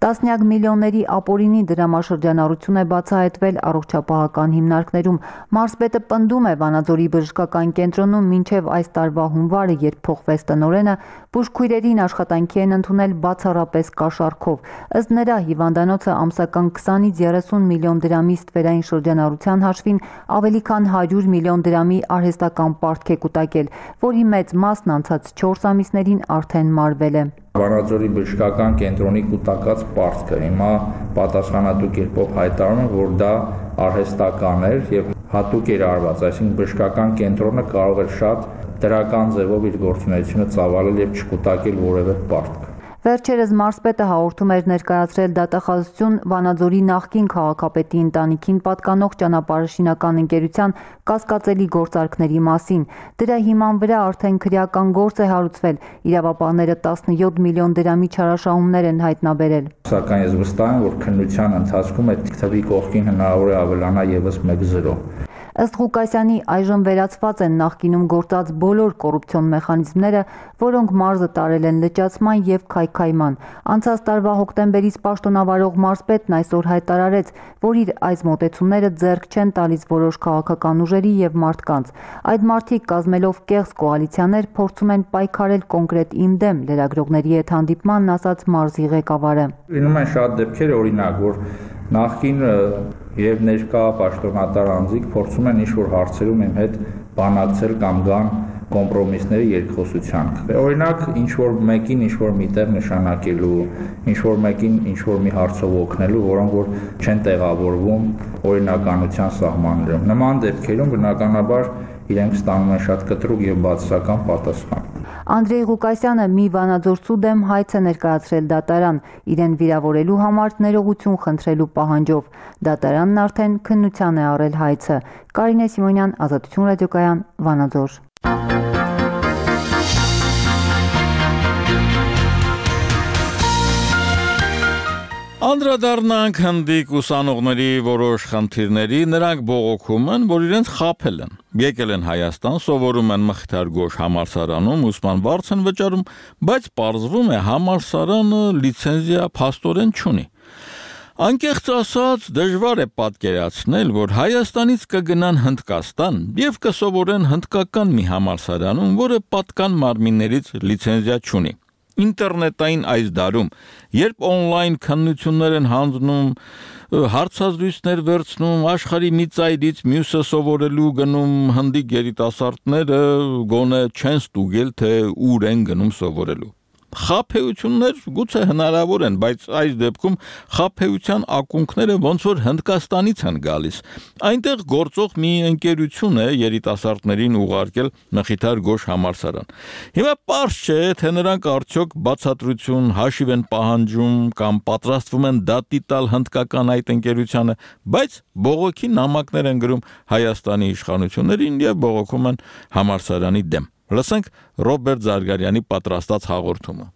Տասնյակ միլիոնների ապօրինի դրամաշրջանառություն է բացահայտվել առողջապահական հիմնարկներում։ Մարզպետը պնդում է Վանաձորի բժշկական կենտրոնում մինչև այս տարվա հունվարը, երբ փոխվեց տնօրենը, բուժքույրերին աշխատանքի են ընդունել բացառապես կաշառքով։ Ըստ նրա, հիվանդանոցը ամսական 20-ից 30 միլիոն դրամի ստվերային շրջանառության հաշվին ավելի քան 100 միլիոն դրամի արհեստական պարտք է կուտակել, որի մեծ մասն անցած 4 ամիսներին արդեն մարվել է։
Վանաձորի բժշկական կենտրոնի կուտակած պարտքը հիմա պատասխանատու կերպով հայտարարում է, որ դա արհեստական էր եւ հատուկ էր արված, այսինքն բժշկական կենտրոնը կարող էր շատ դրական ձևով իր գործունեությունը ծավալել եւ չկուտակել որևէ պարտք։
Վերջերս մարզպետը հաղորդում էր ներկայացրել դատախազություն Վանաձորի նախկին քաղաքապետի ընտանիքին պատկանող ճանապարհաշինական ընկերության կասկածելի գործարքների մասին։ Դրա հիման վրա արդեն քրեական գործ է հարուցվել։ Իրավապահները 17 միլիոն դրամի չարաշահումներ են հայտնաբերել։
Սակայն ես վստահ եմ, որ քննության ընթացքում այդ թվի կողքին հնարավոր է ավելանա եւս 1-0։
Ըստ Ղուկասյանի այժմ վերացված են նախկինում գործած բոլոր կոռուպցիոն մեխանիզմները, որոնք մարզը տարել են լճացման եւ քայքայման։ Անցած տարվա հոկտեմբերից պաշտոնավարող մարզպետն այսօր հայտարարեց, որ իր այս մոտեցումները ձեռք չեն տալիս որոշ քաղաքական ուժերի եւ մարդկանց։ Այդ մարդիկ կազմելով կեղծ կոալիցիաներ փորձում են պայքարել կոնկրետ իմ դեմ, լրագրողների հետ հանդիպմանն ասաց մարզի ղեկավարը։
Լինում են շատ դեպքեր, օրինակ, որ նախկին եւ ներկա պաշտոնատար անձիկ փորձում են ինչ-որ հարցերում իմ հետ բանակցել կամ գան կոմպրոմիսների երկխոսության։ Օրինակ, ինչ-որ մեկին ինչ-որ միտեղ նշանակելու, ինչ-որ մեկին ինչ-որ մի հարցով օգնելու, որոնք որ չեն տեղավորվում օրինականության սահմաններում։ Նման դեպքերում բնականաբար իրենք ստանում են շատ կտրուկ եւ բացասական պատասխան։
Անդրեյ Ղուկասյանը մի վանաձորցու դեմ հայց է ներկայացրել դատարան, իրեն վիրավորելու համար ներողություն խնդրելու պահանջով։ Դատարանն արդեն քննության է առել հայցը։ Կարինե Սիմոնյան, Ազատություն ռադիոկայան, Վանաձոր։
Անդրադառնանք հնդիկ ուսանողների որոշ խնդիրների, նրանք բողոքում են, որ իրենց խաբել են։ Եկել են Հայաստան, սովորում են Մխիթար Գոշ համալսարանում, ուսման վարձ են վճարում, բայց պարզվում է համալսարանը լիցենզիա փաստորեն չունի։ Անկեղծ ասած, դժվար է պատկերացնել, որ Հայաստանից կգնան Հնդկաստան եւ կսովորեն հնդկական մի համալսարանում, որը պատկան մարմիններից լիցենզիա չունի։ Ինտերնետային այս դարում, երբ օնլայն քննություններ են հանձնում, հարցազրույցներ վերցնում, աշխարհի մի ծայրից մյուսը սովորելու գնում, հնդիկ երիտասարդները գոնե չեն ստուգել, թե ուր են գնում սովորելու։ Խաբեություններ գուցե հնարավոր են, բայց այս դեպքում խաբեության ակունքները ոնց որ Հնդկաստանից են գալիս։ Այնտեղ գործող մի ընկերություն է երիտասարդներին ուղարկել Մխիթար Գոշ համալսարան։ Հիմա պարզ չէ, թե նրանք արդյոք բացատրություն հաշիվ են պահանջում կամ պատրաստվում են դատի տալ հնդկական այդ ընկերությանը, բայց բողոքի նամակներ են գրում Հայաստանի իշխանություններին եւ բողոքում են համալսարանի դեմ։ Լսենք Ռոբերտ Զարգարյանի պատրաստած հաղորդումը։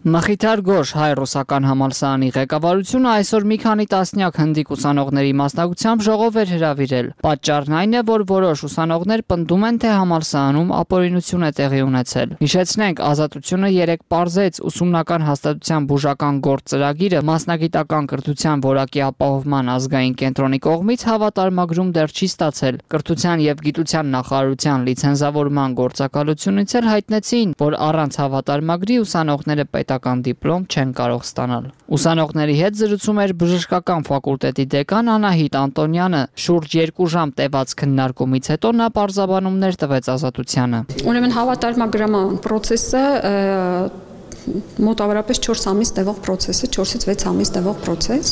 Մխիթար Գոշ հայ-ռուսական համալսարանի ղեկավարությունը այսօր մի քանի տասնյակ հնդիկ ուսանողների մասնակցությամբ ժողով էր հրավիրել։ Պատճառն այն է, որ որոշ ուսանողներ պնդում են, թե համալսարանում ապօրինություն է տեղի ունեցել։ Հիշեցնենք, Ազատությունը 3 պարզեց ուսումնական հաստատության բուժական գործ ծրագիրը մասնագիտական կրթության որակի ապահովման ազգային կենտրոնի կողմից հավատարմագրում դեռ չի ստացել։ Կրթության եւ գիտության նախարարության լիցենզավորման գործակալությունից էլ հայտնեցին, որ առանց հավատարմագրի ուսանողները պետական դիպլոմ չեն կարող ստանալ։ Ուսանողների հետ զրուցում էր բժշկական ֆակուլտետի դեկան Անահիտ Անտոնյանը։ Շուրջ 2 ժամ տևած քննարկումից հետո նա պարզաբանումներ տվեց Ազատությանը։
Ուրեմն հավատարմագրման process-ը մոտավորապես 4 ամիս տևող process է, 4-ից 6 ամիս տևող process։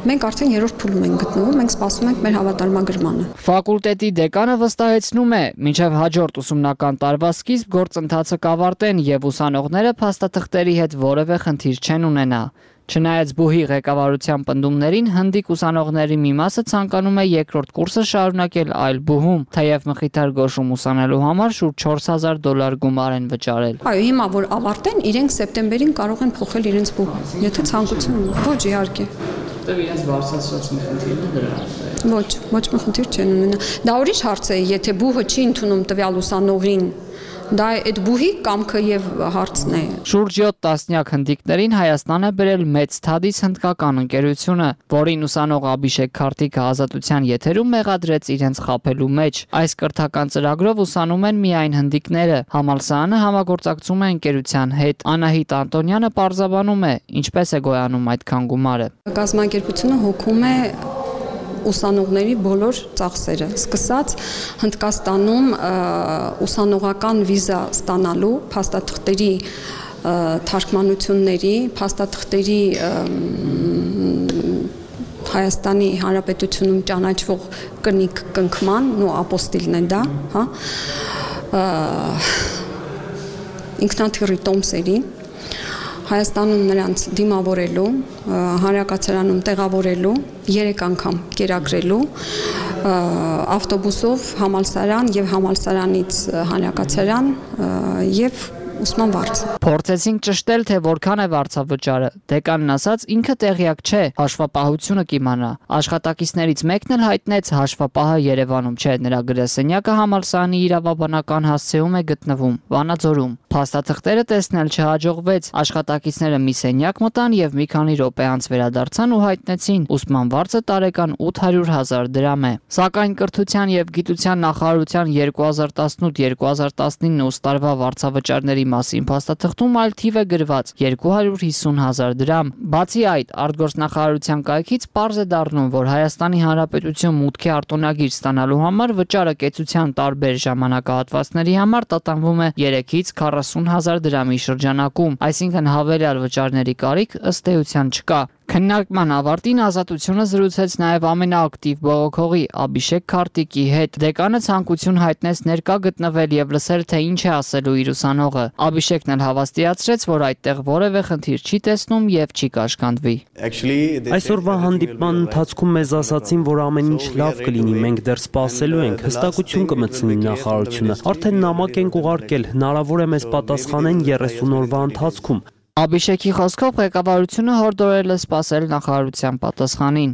Մենք արդեն 3-րդ փուլում ենք գտնվում, մենք սպասում ենք մեր հավատարմագրմանը։
Ֆակուլտետի դեկանը վստահեցնում է, մինչև հաջորդ ուսումնական տարվա սկիզբ գործընթացը կավարտեն եւ ուսանողները փաստաթղթերի հետ որևէ խնդիր չեն ունենա։ Չնայած բուհի ղեկավարության պնդումներին, հնդիկ ուսանողների մի մասը ցանկանում է երկրորդ կուրսը շարունակել այլ բուհում, թեև Մխիթար Գոշում ուսանելու համար շուրջ $4000 գումար են վճարել։
Այո, հիմա որ ավարտեն, իրենք սեպտեմբերին կարող են փոխել իրենց բուհ, եթե ցանկություն ունեն։ Ոչ, իհարկե։
Որտեղ իրենց բարձրացած մի խնդիրն է դրա։
Ոչ մի խնդիր չեն ունենա։ Դա ուրիշ հարց է, եթե բուհը չի ընդունում տվյալ ուսանողին, դա այդ բուհի կամքը եւ հարցն է։
Շուրջ 7 տասնյակ հնդիկներին Հայաստան է բերել Մեծ Թադիս հնդկական ընկերությունը, որին ուսանող Աբիշեկ Քարտիկը Ազատության եթերում մեղադրեց իրենց խաբելու մեջ։ Այս կրթական ծրագրով ուսանում են միայն հնդիկները։ Համալսարանը համագործակցում է ընկերության հետ։ Անահիտ Անտոնյանը պարզաբանում է, ինչպես է գոյանում այդքան գումարը։
Գազམ-ակերպությունը հոգում է ուսանողների բոլոր ծախսերը, սկսած Հնդկաստանում ուսանողական վիզա ստանալու, փաստաթղթերի թարգմանությունների, փաստաթղթերի Հայաստանի Հանրապետությունում ճանաչվող կնիկ կնքման, նո ապոստիլն է դա, հա, ինքնաթիռի տոմսերի Հայաստանում նրանց դիմավորելու, հանրակացարանում տեղավորելու, 3 անգամ կերակրելու, ավտոբուսով համալսարան եւ համալսարանից հանրակացարան եւ ուսման վարձը։
Փորձեցինք ճշտել, թե որքան է վարձավճարը։ Դեկանն ասաց, ինքը տեղյակ չէ, հաշվապահությունը կիմանա։ Աշխատակիցներից մեկն էլ հայտնեց, հաշվապահը Երևանում չէ, նրա գրասենյակը համալսարանի իրավաբանական հասցեում է գտնվում, Վանաձորում։ Փաստաթղթերը տեսնել չհաջողվեց, աշխատակիցները մի սենյակ մտան եւ մի քանի րոպե անց վերադարձան ու հայտնեցին, ուսման վարձը տարեկան 800,000 դրամ է։ Սակայն կրթության եւ գիտության նախարարության 2018-2019 ուստարվա վարձավճարների մասին փաստաթղթում այլ թիվ է գրված 250,000 դրամ։ Բացի այդ, արտգործնախարարության կայքից պարզ է դառնում, որ Հայաստանի Հանրապետություն մուտքի արտոնագիր ստանալու համար վճարը կեցության տարբեր ժամանակահատվածների համար տատանվում է 3-ից 40,000 դրամի շրջանակում, այսինքն հավելյալ վճարների կարիք ըստ էության չկա։ Քննարկման ավարտին Ազատությունը զրուցեց նաև ամենաակտիվ բողոքողի Աբիշեկ Քարտիկի հետ։ Դեկանը ցանկություն հայտնեց ներկա գտնվել եւ լսել, թե ինչ է ասելու իր ուսանողը։ Աբիշեկն էլ հավաստիացրեց, որ այդտեղ որևէ խնդիր չի տեսնում եւ չի կաշկանդվի։
Այսօրվա հանդիպման ընթացքում մեզ ասացին, որ ամեն ինչ լավ կլինի, մենք դեռ սպասելու ենք, հստակություն կմտցնի նախարարությունը։ Արդեն նամակ ենք ուղարկել, հնարավոր է մեզ պատասխանեն 30 օրվա ընթացքում։
Աբիշեկի խոսքով ղեկավարությունը հորդորել է սպասել նախարարության պատասխանին։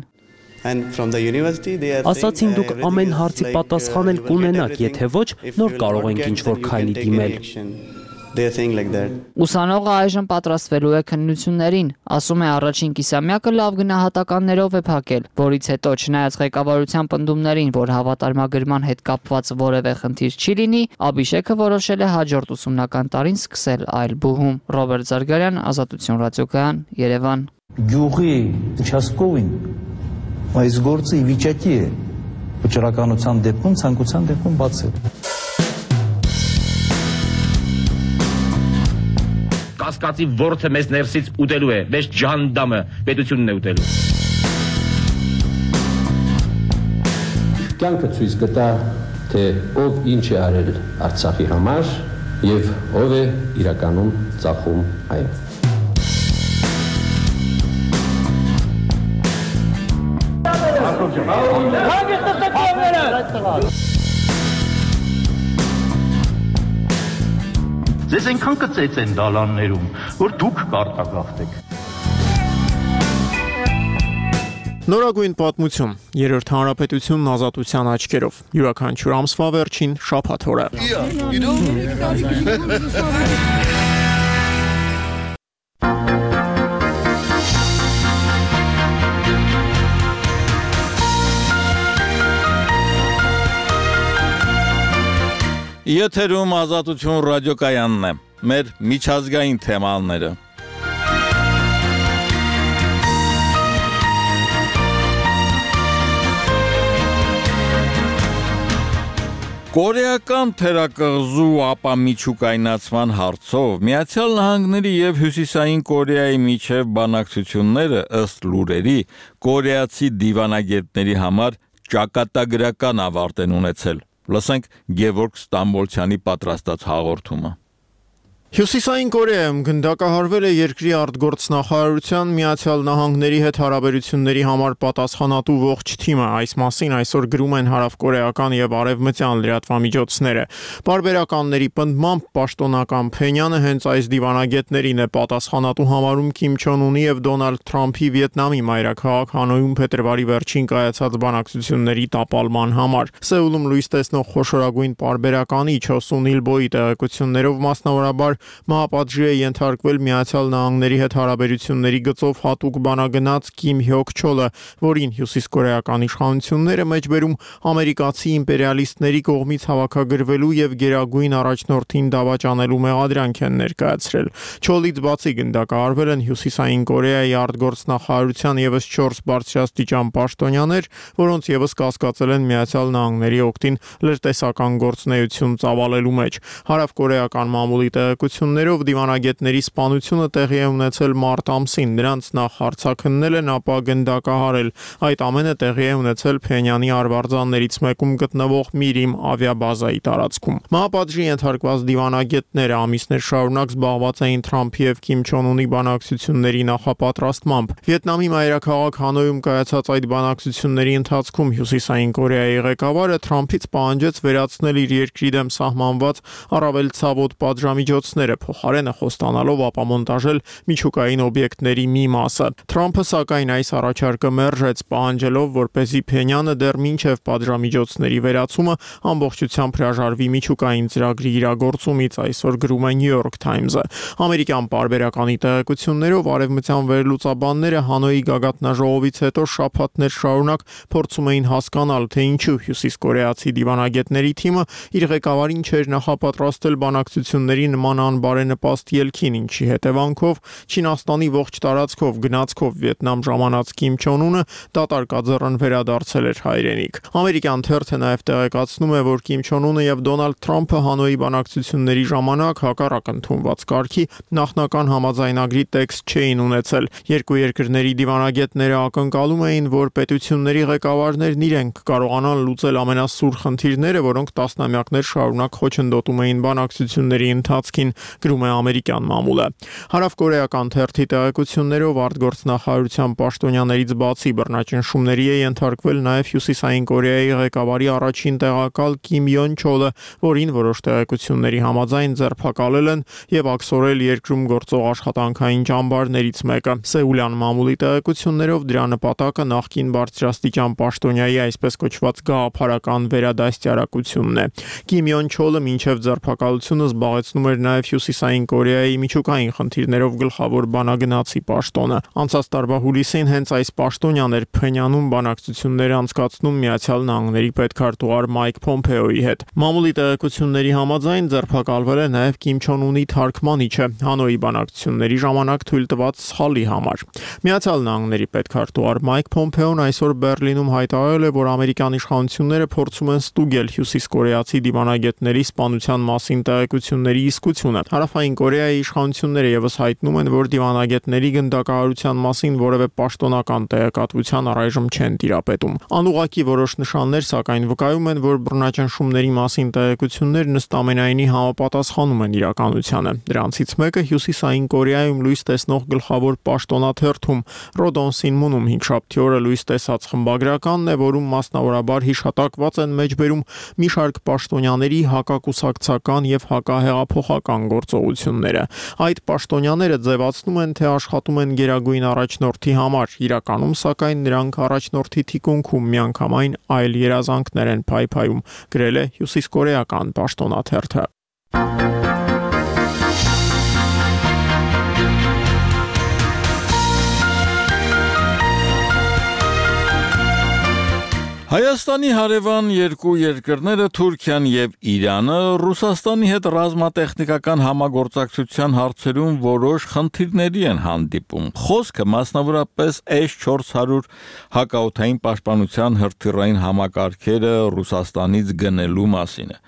Ասացին դուք ամեն հարցի պատասխան էլ կունենաք, եթե ոչ, նոր կարող ենք ինչ-որ քայլի դիմել։
Ուսանողը այժմ պատրաստվելու է քննություններին, ասում է առաջին կիսամյակը լավ գնահատականներով է փակել, որից հետո չնայած ղեկավարության պնդումներին, որ հավատարմագրման հետ կապված որևէ խնդիր չի լինի, Աբիշեկը որոշել է հաջորդ ուսումնական տարին սկսել այլ բուհում։ Ռոբերտ Զարգարյան, Ազատություն ռադիոկայան, Երևան։
Գյուղի участковին այս գործը ի վիճակի է վճռականության դեպքում, ցանկության դեպքում բացել։
Կասկածի ворթը մեզ ներսից ուտելու է, մեզ ջանդամը պետությունն է ուտելու։
Կյանքը ցույց կտա, թե ով ինչ է արել Արցախի համար եւ ով է իրականում ծախում այն։
Ձեզ այնքան կծեց են դալաններում, որ դուք կարտագաղթեք։
Նորագույն պատմություն, երրորդ հանրապետությունն ազատության աչքերով, յուրաքանչյուր ամսվա վերջին շաբաթ օրը։
Եթերում Ազատություն ռադիոկայանն է, մեր միջազգային թեմաները։ Կորեական թերակղզու ապամիջուկայնացման հարցով Միացյալ Նահանգների եւ Հյուսիսային Կորեայի միջև բանակցությունները ըստ լուրերի կորեացի դիվանագետների համար ճակատագրական ավարտ են ունեցել։ Լսենք Գևորգ Ստամբոլցյանի պատրաստած հաղորդումը։
Հյուսիսային Կորեայում գնդակահարվել է երկրի արտգործնախարարության Միացյալ Նահանգների հետ հարաբերությունների համար պատասխանատու ողջ թիմը, այս մասին այսօր գրում են հարավկորեական եւ արևմտյան լրատվամիջոցները։ Պարբերականների պնդմամբ պաշտոնական Փենյանը հենց այս դիվանագետներին է պատասխանատու համարում Քիմ Չոն Ունի եւ Դոնալդ Թրամփի Վիետնամի մայրաքաղաք Հանոյում փետրվարի վերջին կայացած բանակցությունների տապալման համար։ Սեուլում լույս տեսնող խոշորագույն պարբերականի Չո Սուն Իլբոյի տեղեկություններով մասնավորաբար Մահապատժի է ենթարկվել Միացյալ Նահանգների հետ հարաբերությունների գծով հատուկ բանագնաց Կիմ Հյոկ Չոլը, որին հյուսիսկորեական իշխանությունները մեջբերում ամերիկացի իմպերիալիստների կողմից հավաքագրվելու եւ գերագույն առաջնորդին դավաճանելու մեղադրանք են ներկայացրել։ Չոլից բացի գնդակահարվել են Հյուսիսային Կորեայի արտգործնախարարության եւս 4 բարձրաստիճան պաշտոնյաներ, որոնց եւս կասկածել են Միացյալ Նահանգների օգտին լրտեսական գործունեություն ծավալելու մեջ։ Հարավկորեական մամուլի տեղեկություններով դիվանագետների սպանությունը տեղի է ունեցել մարտ ամսին, նրանց նախ հարձակննել են, ապա գնդակահարել։ Այդ ամենը տեղի է ունեցել Փենյանի արվարձաններից մեկում գտնվող Միրիմ ավիաբազայի տարածքում։ Մահապատժի ենթարկված դիվանագետները ամիսներ շարունակ զբաղված էին Թրամփի եւ Քիմ Չոն Ունի բանակցությունների նախապատրաստմամբ։ Վիետնամի մայրաքաղաք Հանոյում կայացած այդ բանակցությունների ընթացքում Հյուսիսային Կորեայի ղեկավարը Թրամփից պահանջեց վերացնել իր երկրի դեմ սահմանված առավել ցավոտ պատժամիջոցներ, միջոցները, փոխարենը խոստանալով ապամոնտաժել միջուկային օբյեկտների մի մասը։ Թրամփը սակայն այս առաջարկը մերժեց, պահանջելով, որպեսզի Փենյանը դեռ մինչև պատժամիջոցների վերացումը ամբողջությամբ հրաժարվի միջուկային ծրագրի իրագործումից, այսօր գրում է New York Times-ը։ Ամերիկյան պարբերականի տեղեկություններով արևմտյան վերլուծաբանները Հանոյի գագաթնաժողովից հետո շաբաթներ շարունակ փորձում էին հասկանալ, թե ինչու հյուսիսկորեացի դիվանագետների թիմը իր ղեկավարին չէր նախապատրաստել բանակցությունների նման անբարենպաստ ելքին, ինչի հետևանքով Չինաստանի ողջ տարածքով գնացքով Վիետնամ ժամանած Կիմ Չոն Ունը դատարկաձեռն վերադարձել էր հայրենիք։ Ամերիկյան թերթը նաև տեղեկացնում է, որ Կիմ Չոն Ունը եւ Դոնալդ Թրամփը Հանոյի բանակցությունների ժամանակ հակառակ ընդունված կարգի նախնական համաձայնագրի տեքստ չէին ունեցել։ Երկու երկրների դիվանագետները ակնկալում էին, որ պետությունների ղեկավարներն իրենք կարողանան լուծել ամենասուր խնդիրները, որոնք տասնամյակներ շարունակ խոչընդոտում էին բանակցությունների ընթացքին, գրում է ամերիկյան մամուլը։ Հարավկորեական թերթի տեղեկություններով արտգործնախարարության պաշտոնյաներից բացի բռնաճնշումների է ենթարկվել նաև Հյուսիսային Կորեայի ղեկավարի առաջին տեղակալ Կիմ Յոն Չոլը, որին որոշ տեղեկությունների համաձայն ձերբակալել են եւ աքսորել երկրում գործող աշխատանքային ճամբարներից մեկը։ Սեուլյան մամուլի տեղեկություններով դրա նպատակը նախկին բարձրաստիճան պաշտոնյայի այսպես կոչված գաղափարական վերադաստիարակությունն է։ Կիմ Յոն Չոլը մինչև ձերբակալությունը զբաղեցնում էր նաև Հյուսիսային Կորեայի միջուկային խնդիրներով գլխավոր բանագնացի պաշտոնը։ Անցած տարվա հուլիսին հենց այս պաշտոնյան էր Փենյանում բանակցություններ անցկացնում Միացյալ Նահանգների պետքարտուղար Մայք Փոմփեոյի հետ։ Մամուլի տեղեկությունների համաձայն ձերբակալվել է նաև Կիմ Չոն Ունի թարգմանիչը Հանոյի բանակցությունների ժամանակ թույլ տված սխալի համար։ Միացյալ Նահանգների պետքարտուղար Մայք Փոմփեոն այսօր Բերլինում հայտարարել է, որ ամերիկյան իշխանությունները փորձում են ստուգել հյուսիսկորեացի դիվանագետների սպանության մասին տեղեկությունների իսկությունը։ Հարավային Կորեայի իշխանությունները եւս հայտնում են, որ դիվանագետների գնդակահարության մասին որևէ պաշտոնական տեղեկատվության առայժմ չեն տիրապետում։ Անուղղակի որոշ նշաններ սակայն վկայում են, որ բռնաճնշումների մասին տեղեկություններն ըստ ամենայնի համապատասխանում են իրականությանը։ Դրանցից մեկը Հյուսիսային Կորեայում լույս տեսնող գլխավոր պաշտոնաթերթում Rodon Sinmun-ում 5-շաբթի օրը լույս տեսած խմբագրականն է, որում մասնավորաբար հիշատակված են մեջբերում մի շարք պաշտոնյաների հակակուսակցական եւ հակահեղափոխական գործողությունները։ Այդ պաշտոնյաները ձևացնում են, թե աշխատում են գերագույն առաջնորդի համար, իրականում սակայն նրանք առաջնորդի թիկունքում միանգամայն այլ երազանքներ են փայփայում, գրել է հյուսիսկորեական պաշտոնաթերթը։
Հայաստանի հարևան երկու երկրները Թուրքիան եւ Իրանը Ռուսաստանի հետ ռազմատեխնիկական համագործակցության հարցերում որոշ խնդիրների են հանդիպում։ Խոսքը մասնավորապես S-400 հակաօդային պաշտպանության հրթիռային համակարգերը Ռուսաստանից գնելու մասին է։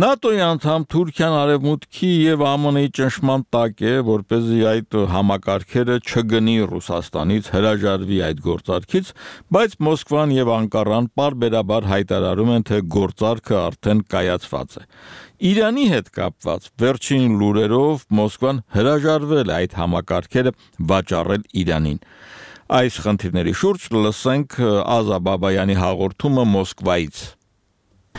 ՆԱՏՕ-ի անդամ Թուրքիան արևմուտքի եւ ԱՄՆ-ի ճնշման տակ է, որպեսզի այդ համակարգերը չգնի Ռուսաստանից, հրաժարվի այդ գործարքից, բայց Մոսկվան եւ Անկարան պարբերաբար հայտարարում են, թե գործարքը արդեն կայացված է։ Իրանի հետ կապված վերջին լուրերով Մոսկվան հրաժարվել է այդ համակարգերը վաճառել Իրանին։ Այս խնդիրների շուրջ լսենք Ազա Բաբայանի հաղորդումը Մոսկվայից։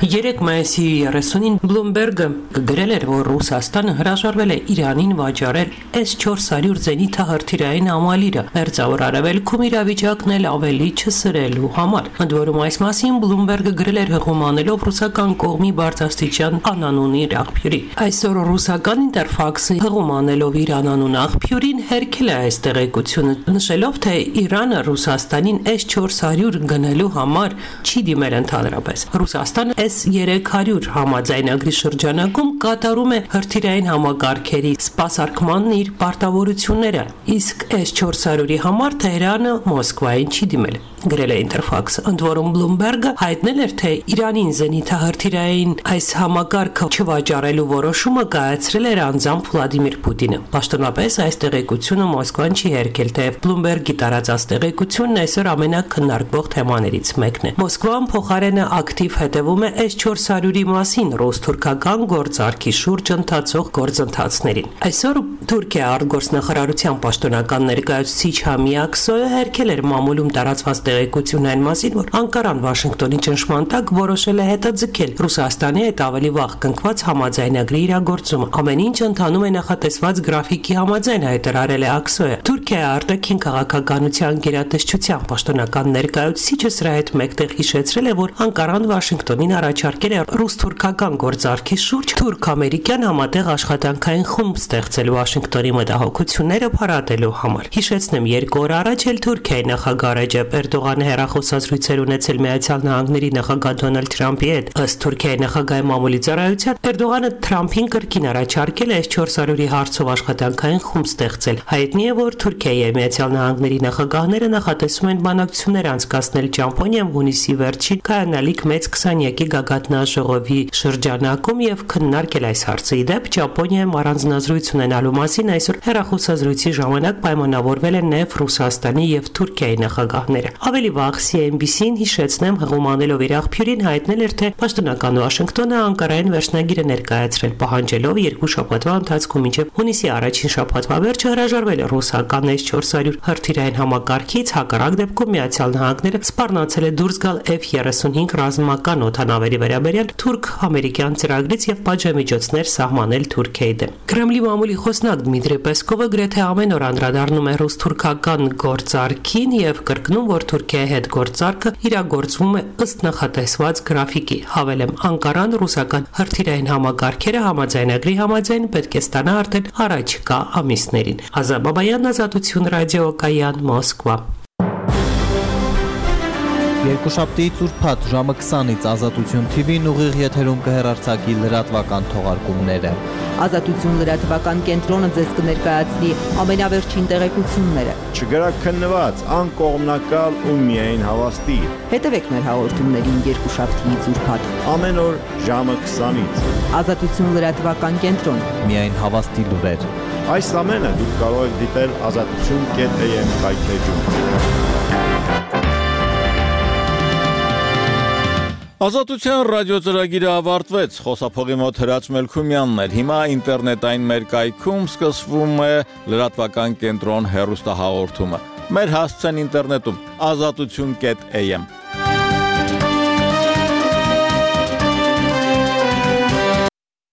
3 մայիսի 30-ին Bloomberg-ը գրել էր, որ Ռուսաստանը հրաժարվել է Իրանին վաճառել S-400 զենիթահրթիռային ամալիրը, մերձավոր արևելքում իրավիճակն էլ ավելի չսրելու համար։ Ընդ որում այս մասին Bloomberg-ը գրել էր հղումանելով ռուսական կողմի բարձրաստիճան անանուն իր աղբյուրի։ Այսօր ռուսական Interfax-ը հղումանելով իր անանուն աղբյուրին հերքել է այս տեղեկությունը, նշելով, թե Իրանը Ռուսաստանին S-400 գնելու համար չի դիմել ընդհանրապես։ Ռուսաստանը S-300 համաձայնագրի շրջանակում կատարում է հրթիռային համակարգերի սպասարկմանն իր պարտավորությունները, իսկ S-400-ի համար Թեհրանը Մոսկվային չի դիմել, գրել է Interfax-ը։ Ընդ որում Bloomberg-ը հայտնել էր, թե Իրանին զենիթահրթիռային այս համակարգը չվաճառելու որոշումը կայացրել էր անձամբ Վլադիմիր Պուտինը։ Պաշտոնապես այս տեղեկությունը Մոսկվան չի հերքել, թեև Bloomberg-ի տարածած տեղեկությունն այսօր ամենակննարկվող թեմաներից մեկն է։ Մոսկվան փոխարենը ակտիվ հետևում է S-400-ի մասին ռուս-թուրքական գործարքի շուրջ ընթացող գործընթացներին։ Այսօր Թուրքիա արտգործնախարարության պաշտոնական ներկայացուցիչ Համի Ակսոյը հերքել էր մամուլում տարածված տեղեկություն այն մասին, որ Անկարան Վաշինգտոնի ճնշման տակ որոշել է հետաձգել Ռուսաստանի հետ ավելի վաղ կնքված համաձայնագրի իրագործումը։ Ամեն ինչ ընթանում է նախատեսված գրաֆիկի համաձայն, հայտարարել է ԱՔՍՕ-ը։ Թուրքիայի արտաքին քաղաքականության գերատեսչության պաշտոնական ներկայացուցիչը սրա հետ մեկտեղ հիշեցրել է, որ Անկարան Վաշինգտոնին առաջարկել է ռուս-թուրքական գործարքի շուրջ թուրք-ամերիկյան համատեղ աշխատանքային խումբ ստեղծել Վաշինգտոնի մտահոգությունները փարատելու համար։ Հիշեցնեմ, 2 օր առաջ էլ Թուրքիայի նախագահ Ռեջեփ Էրդողանը հեռախոսազրույցեր ունեցել Միացյալ Նահանգների նախագահ Դոնալդ Թրամփի հետ։ Ըստ Թուրքիայի նախագահի մամուլի ծառայության, Էրդողանը Թրամփին կրկին առաջարկել է S-400-ի հարցով աշխատանքային խումբ ստեղծել։ Հայտնի է, որ Թուրքիայի եւ Միացյալ Նահանգների նախագահները նախատեսում են բանակցություններ անցկացնել Ճամփոնիայում հունիսի վերջին կայանալիք մեծ 20-յակի գագաթնաժողովի շրջանակում եւ քննարկել այս հարցը։ Ի դեպ, Ճամփոնիայում առանձնազրույց ունենալու մասին այսօր հեռախոսազրույցի ժամանակ պայմանավորվել են նաեւ Ռուսաստանի եւ Թուրքիայի նախագահները։ Ավելի վաղ CNBC-ին հիշեցնեմ, հղումանելով իր աղբյուրին հայտնել էր, թե պաշտոնական Վաշինգտոնը Անկարային վերջնագիր է ներկայացրել, պահանջելով 2 շաբաթվա ընթացքում մինչև հունիսի առաջին շաբաթվա վերջը հրաժարվել ռուսական S-400 հրթիռային համակարգից, հակառակ դեպքում Միացյալ Նահանգները սպառնացել է դուրս գալ F-35 ռազմական օդանավերի վերաբերյալ թուրք-ամերիկյան ծրագրից եւ պատժամիջոցներ սահմանել Թուրքիայի դեմ։ Կրեմլի մամուլի խոսնակ Դմիտրի Պեսկովը գրեթե ամեն օր անդրադառնում է ռուս-թուրքական գործարքին եւ կրկնում, որ Թուրքիայի հետ գործարքը իրագործվում է ըստ նախատեսված գրաֆիկի։ Հավելեմ, Անկարան ռուսական հրթիռային համակարգերը համաձայնագրի համաձայն պետք է ստանա արդեն առաջիկա ամիսներին։ Ազատ Բաբայան, Ազատություն ռադիոկայան, Մոսկվա։
Երկուշաբթի ուրբաթ ժամը 20-ից Ազատություն TV-ն ուղիղ եթերում կհեռարձակի լրատվական թողարկումները։
Ազատություն լրատվական կենտրոնը ձեզ կներկայացնի ամենավերջին տեղեկությունները։
Չգրակ քննված, անկողմնակալ ու միայն հավաստի։
Հետևեք մեր հաղորդումներին երկուշաբթիից ուրբաթ
ամեն օր ժամը 20-ից։
Ազատություն լրատվական կենտրոն։
Միայն հավաստի լուրեր։
Այս ամենը դուք կարող եք դիտել azatutun.am կայքեջում։
Ազատության ռադիոծրագիրը ավարտվեց, խոսափողի մոտ Հրաչ Մելքումյանն էր, հիմա ինտերնետային մեր կայքում սկսվում է լրատվական կենտրոն հեռուստահաղորդումը, մեր հասցեն ինտերնետում, azatutun.am